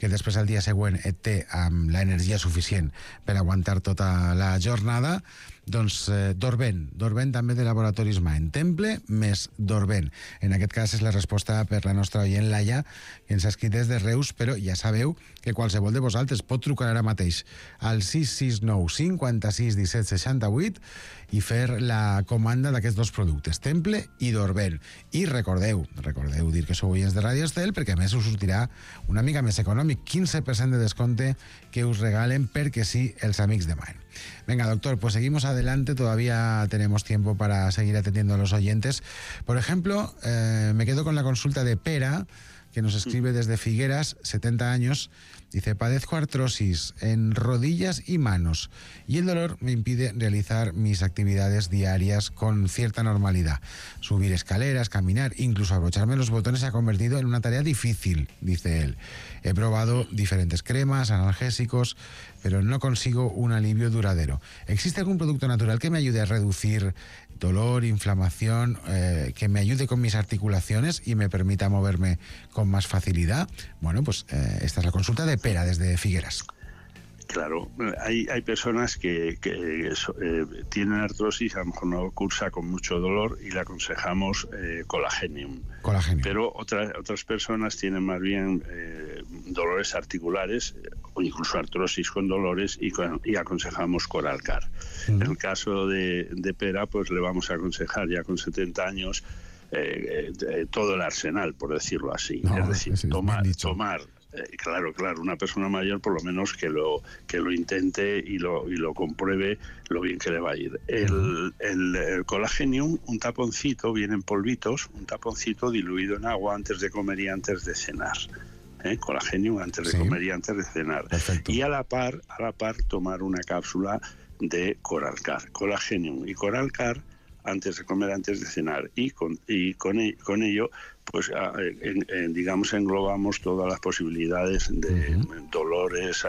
que després al dia següent et té amb l'energia suficient per aguantar tota la jornada, doncs eh, Dorben, Dorben també de Laboratoris Maen, Temple més Dorben. En aquest cas és la resposta per la nostra oient Laia, que ens ha escrit des de Reus, però ja sabeu que qualsevol de vosaltres pot trucar ara mateix al sis sis nou cinquanta-sis disset seixanta-vuit i fer la comanda d'aquests dos productes, Temple i Dorben. I recordeu, recordeu dir que sou oients de Radio Estel, perquè a més us sortirà una mica més econòmic, quinze per cent de descompte que us regalen perquè sí els amics de Maen. Venga, doctor, pues seguimos adelante, todavía tenemos tiempo para seguir atendiendo a los oyentes. Por ejemplo, eh, me quedo con la consulta de Pera, que nos escribe desde Figueras, setenta años. Dice, padezco artrosis en rodillas y manos y el dolor me impide realizar mis actividades diarias con cierta normalidad. Subir escaleras, caminar, incluso abrocharme los botones se ha convertido en una tarea difícil, dice él. He probado diferentes cremas, analgésicos, pero no consigo un alivio duradero. ¿Existe algún producto natural que me ayude a reducir dolor, inflamación, eh, que me ayude con mis articulaciones y me permita moverme con más facilidad? Bueno, pues eh, esta es la consulta de Pera desde Figueras. Claro, hay, hay personas que, que eh, tienen artrosis, a lo mejor no cursa con mucho dolor y le aconsejamos eh, Colagenium. Colagenium. Pero otras, otras personas tienen más bien eh, dolores articulares o incluso artrosis con dolores y, con, y aconsejamos Coralcar. Uh-huh. En el caso de, de Pera, pues le vamos a aconsejar ya con setenta años eh, eh, todo el arsenal, por decirlo así. No, es decir, es tomar... tomar Eh, claro, claro, una persona mayor por lo menos que lo que lo intente y lo y lo compruebe lo bien que le va a ir. El, el, el Colagenium, un taponcito, viene en polvitos, un taponcito diluido en agua antes de comer y antes de cenar. ¿Eh? Colagenium antes de sí. comer y antes de cenar. Perfecto. Y a la par, a la par tomar una cápsula de Coralcar, Colagenium y Coralcar antes de comer, antes de cenar, y con y con, con ello pues en, en, digamos englobamos todas las posibilidades de uh-huh. dolores,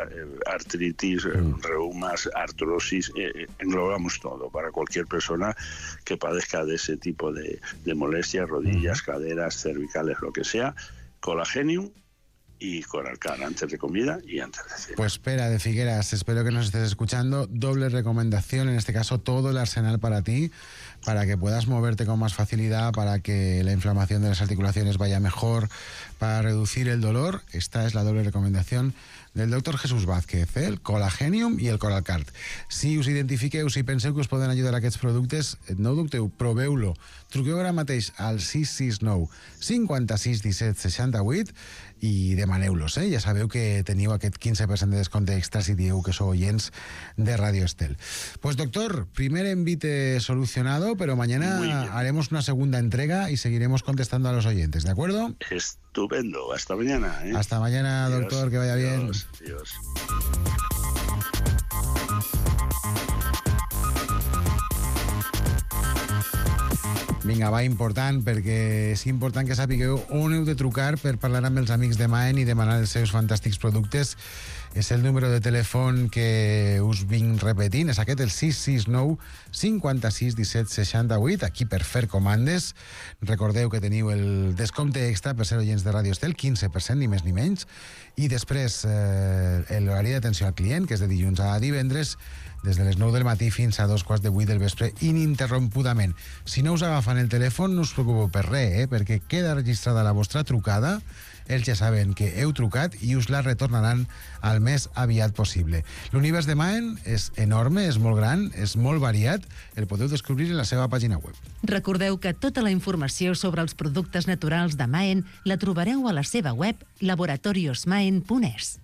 artritis, uh-huh. reumas, artrosis, eh, englobamos todo para cualquier persona que padezca de ese tipo de, de molestias, rodillas, uh-huh. caderas, cervicales, lo que sea. Colagenium y Coralcar antes de comida y antes de cenar. Pues Pera de Figueras, espero que nos estés escuchando. Doble recomendación, en este caso todo el arsenal para ti, para que puedas moverte con más facilidad, para que la inflamación de las articulaciones vaya mejor, para reducir el dolor. Esta es la doble recomendación del doctor Jesús Vázquez, eh? El Colagenium i el Coralcar. Si us identifiqueu, si penseu que us poden ajudar aquests productes, no dubteu, proveu-lo. Truqueu ara mateix al sis sis nou cinquanta-sis disset seixanta-vuit i demaneu-los, eh? Ja sabeu que teniu aquest quinze per cent de descompte extra si dieu que sou oyents de Radio Estel. Pues doctor, primer envite solucionado, pero mañana haremos una segunda entrega y seguiremos contestando a los oyentes, ¿de acuerdo? Estupendo, hasta mañana, ¿eh? Hasta mañana, Dios, doctor, que vaya bien. Dios, Dios. Vinga, va, important, perquè és important que sapigueu on heu de trucar per parlar amb els amics de Maen i demanar els seus fantàstics productes. És el número de telèfon que us vinc repetint, és aquest, el sis sis nou cinquanta-sis disset seixanta-vuit, aquí per fer comandes. Recordeu que teniu el descompte extra per ser oients de Radio Estel, quinze per cent, ni més ni menys. I després eh, l'horari d'atenció al client, que és de dilluns a divendres, des de les nou del matí fins a dos quarts de vuit del vespre, ininterrompudament. Si no us agafen el telèfon, no us preocupeu per res, eh? perquè queda registrada la vostra trucada, ells ja saben que heu trucat i us la retornaran al més aviat possible. L'univers de Maen és enorme, és molt gran, és molt variat, el podeu descobrir en la seva pàgina web. Recordeu que tota la informació sobre els productes naturals de Maen la trobareu a la seva web laboratorios maen punt es.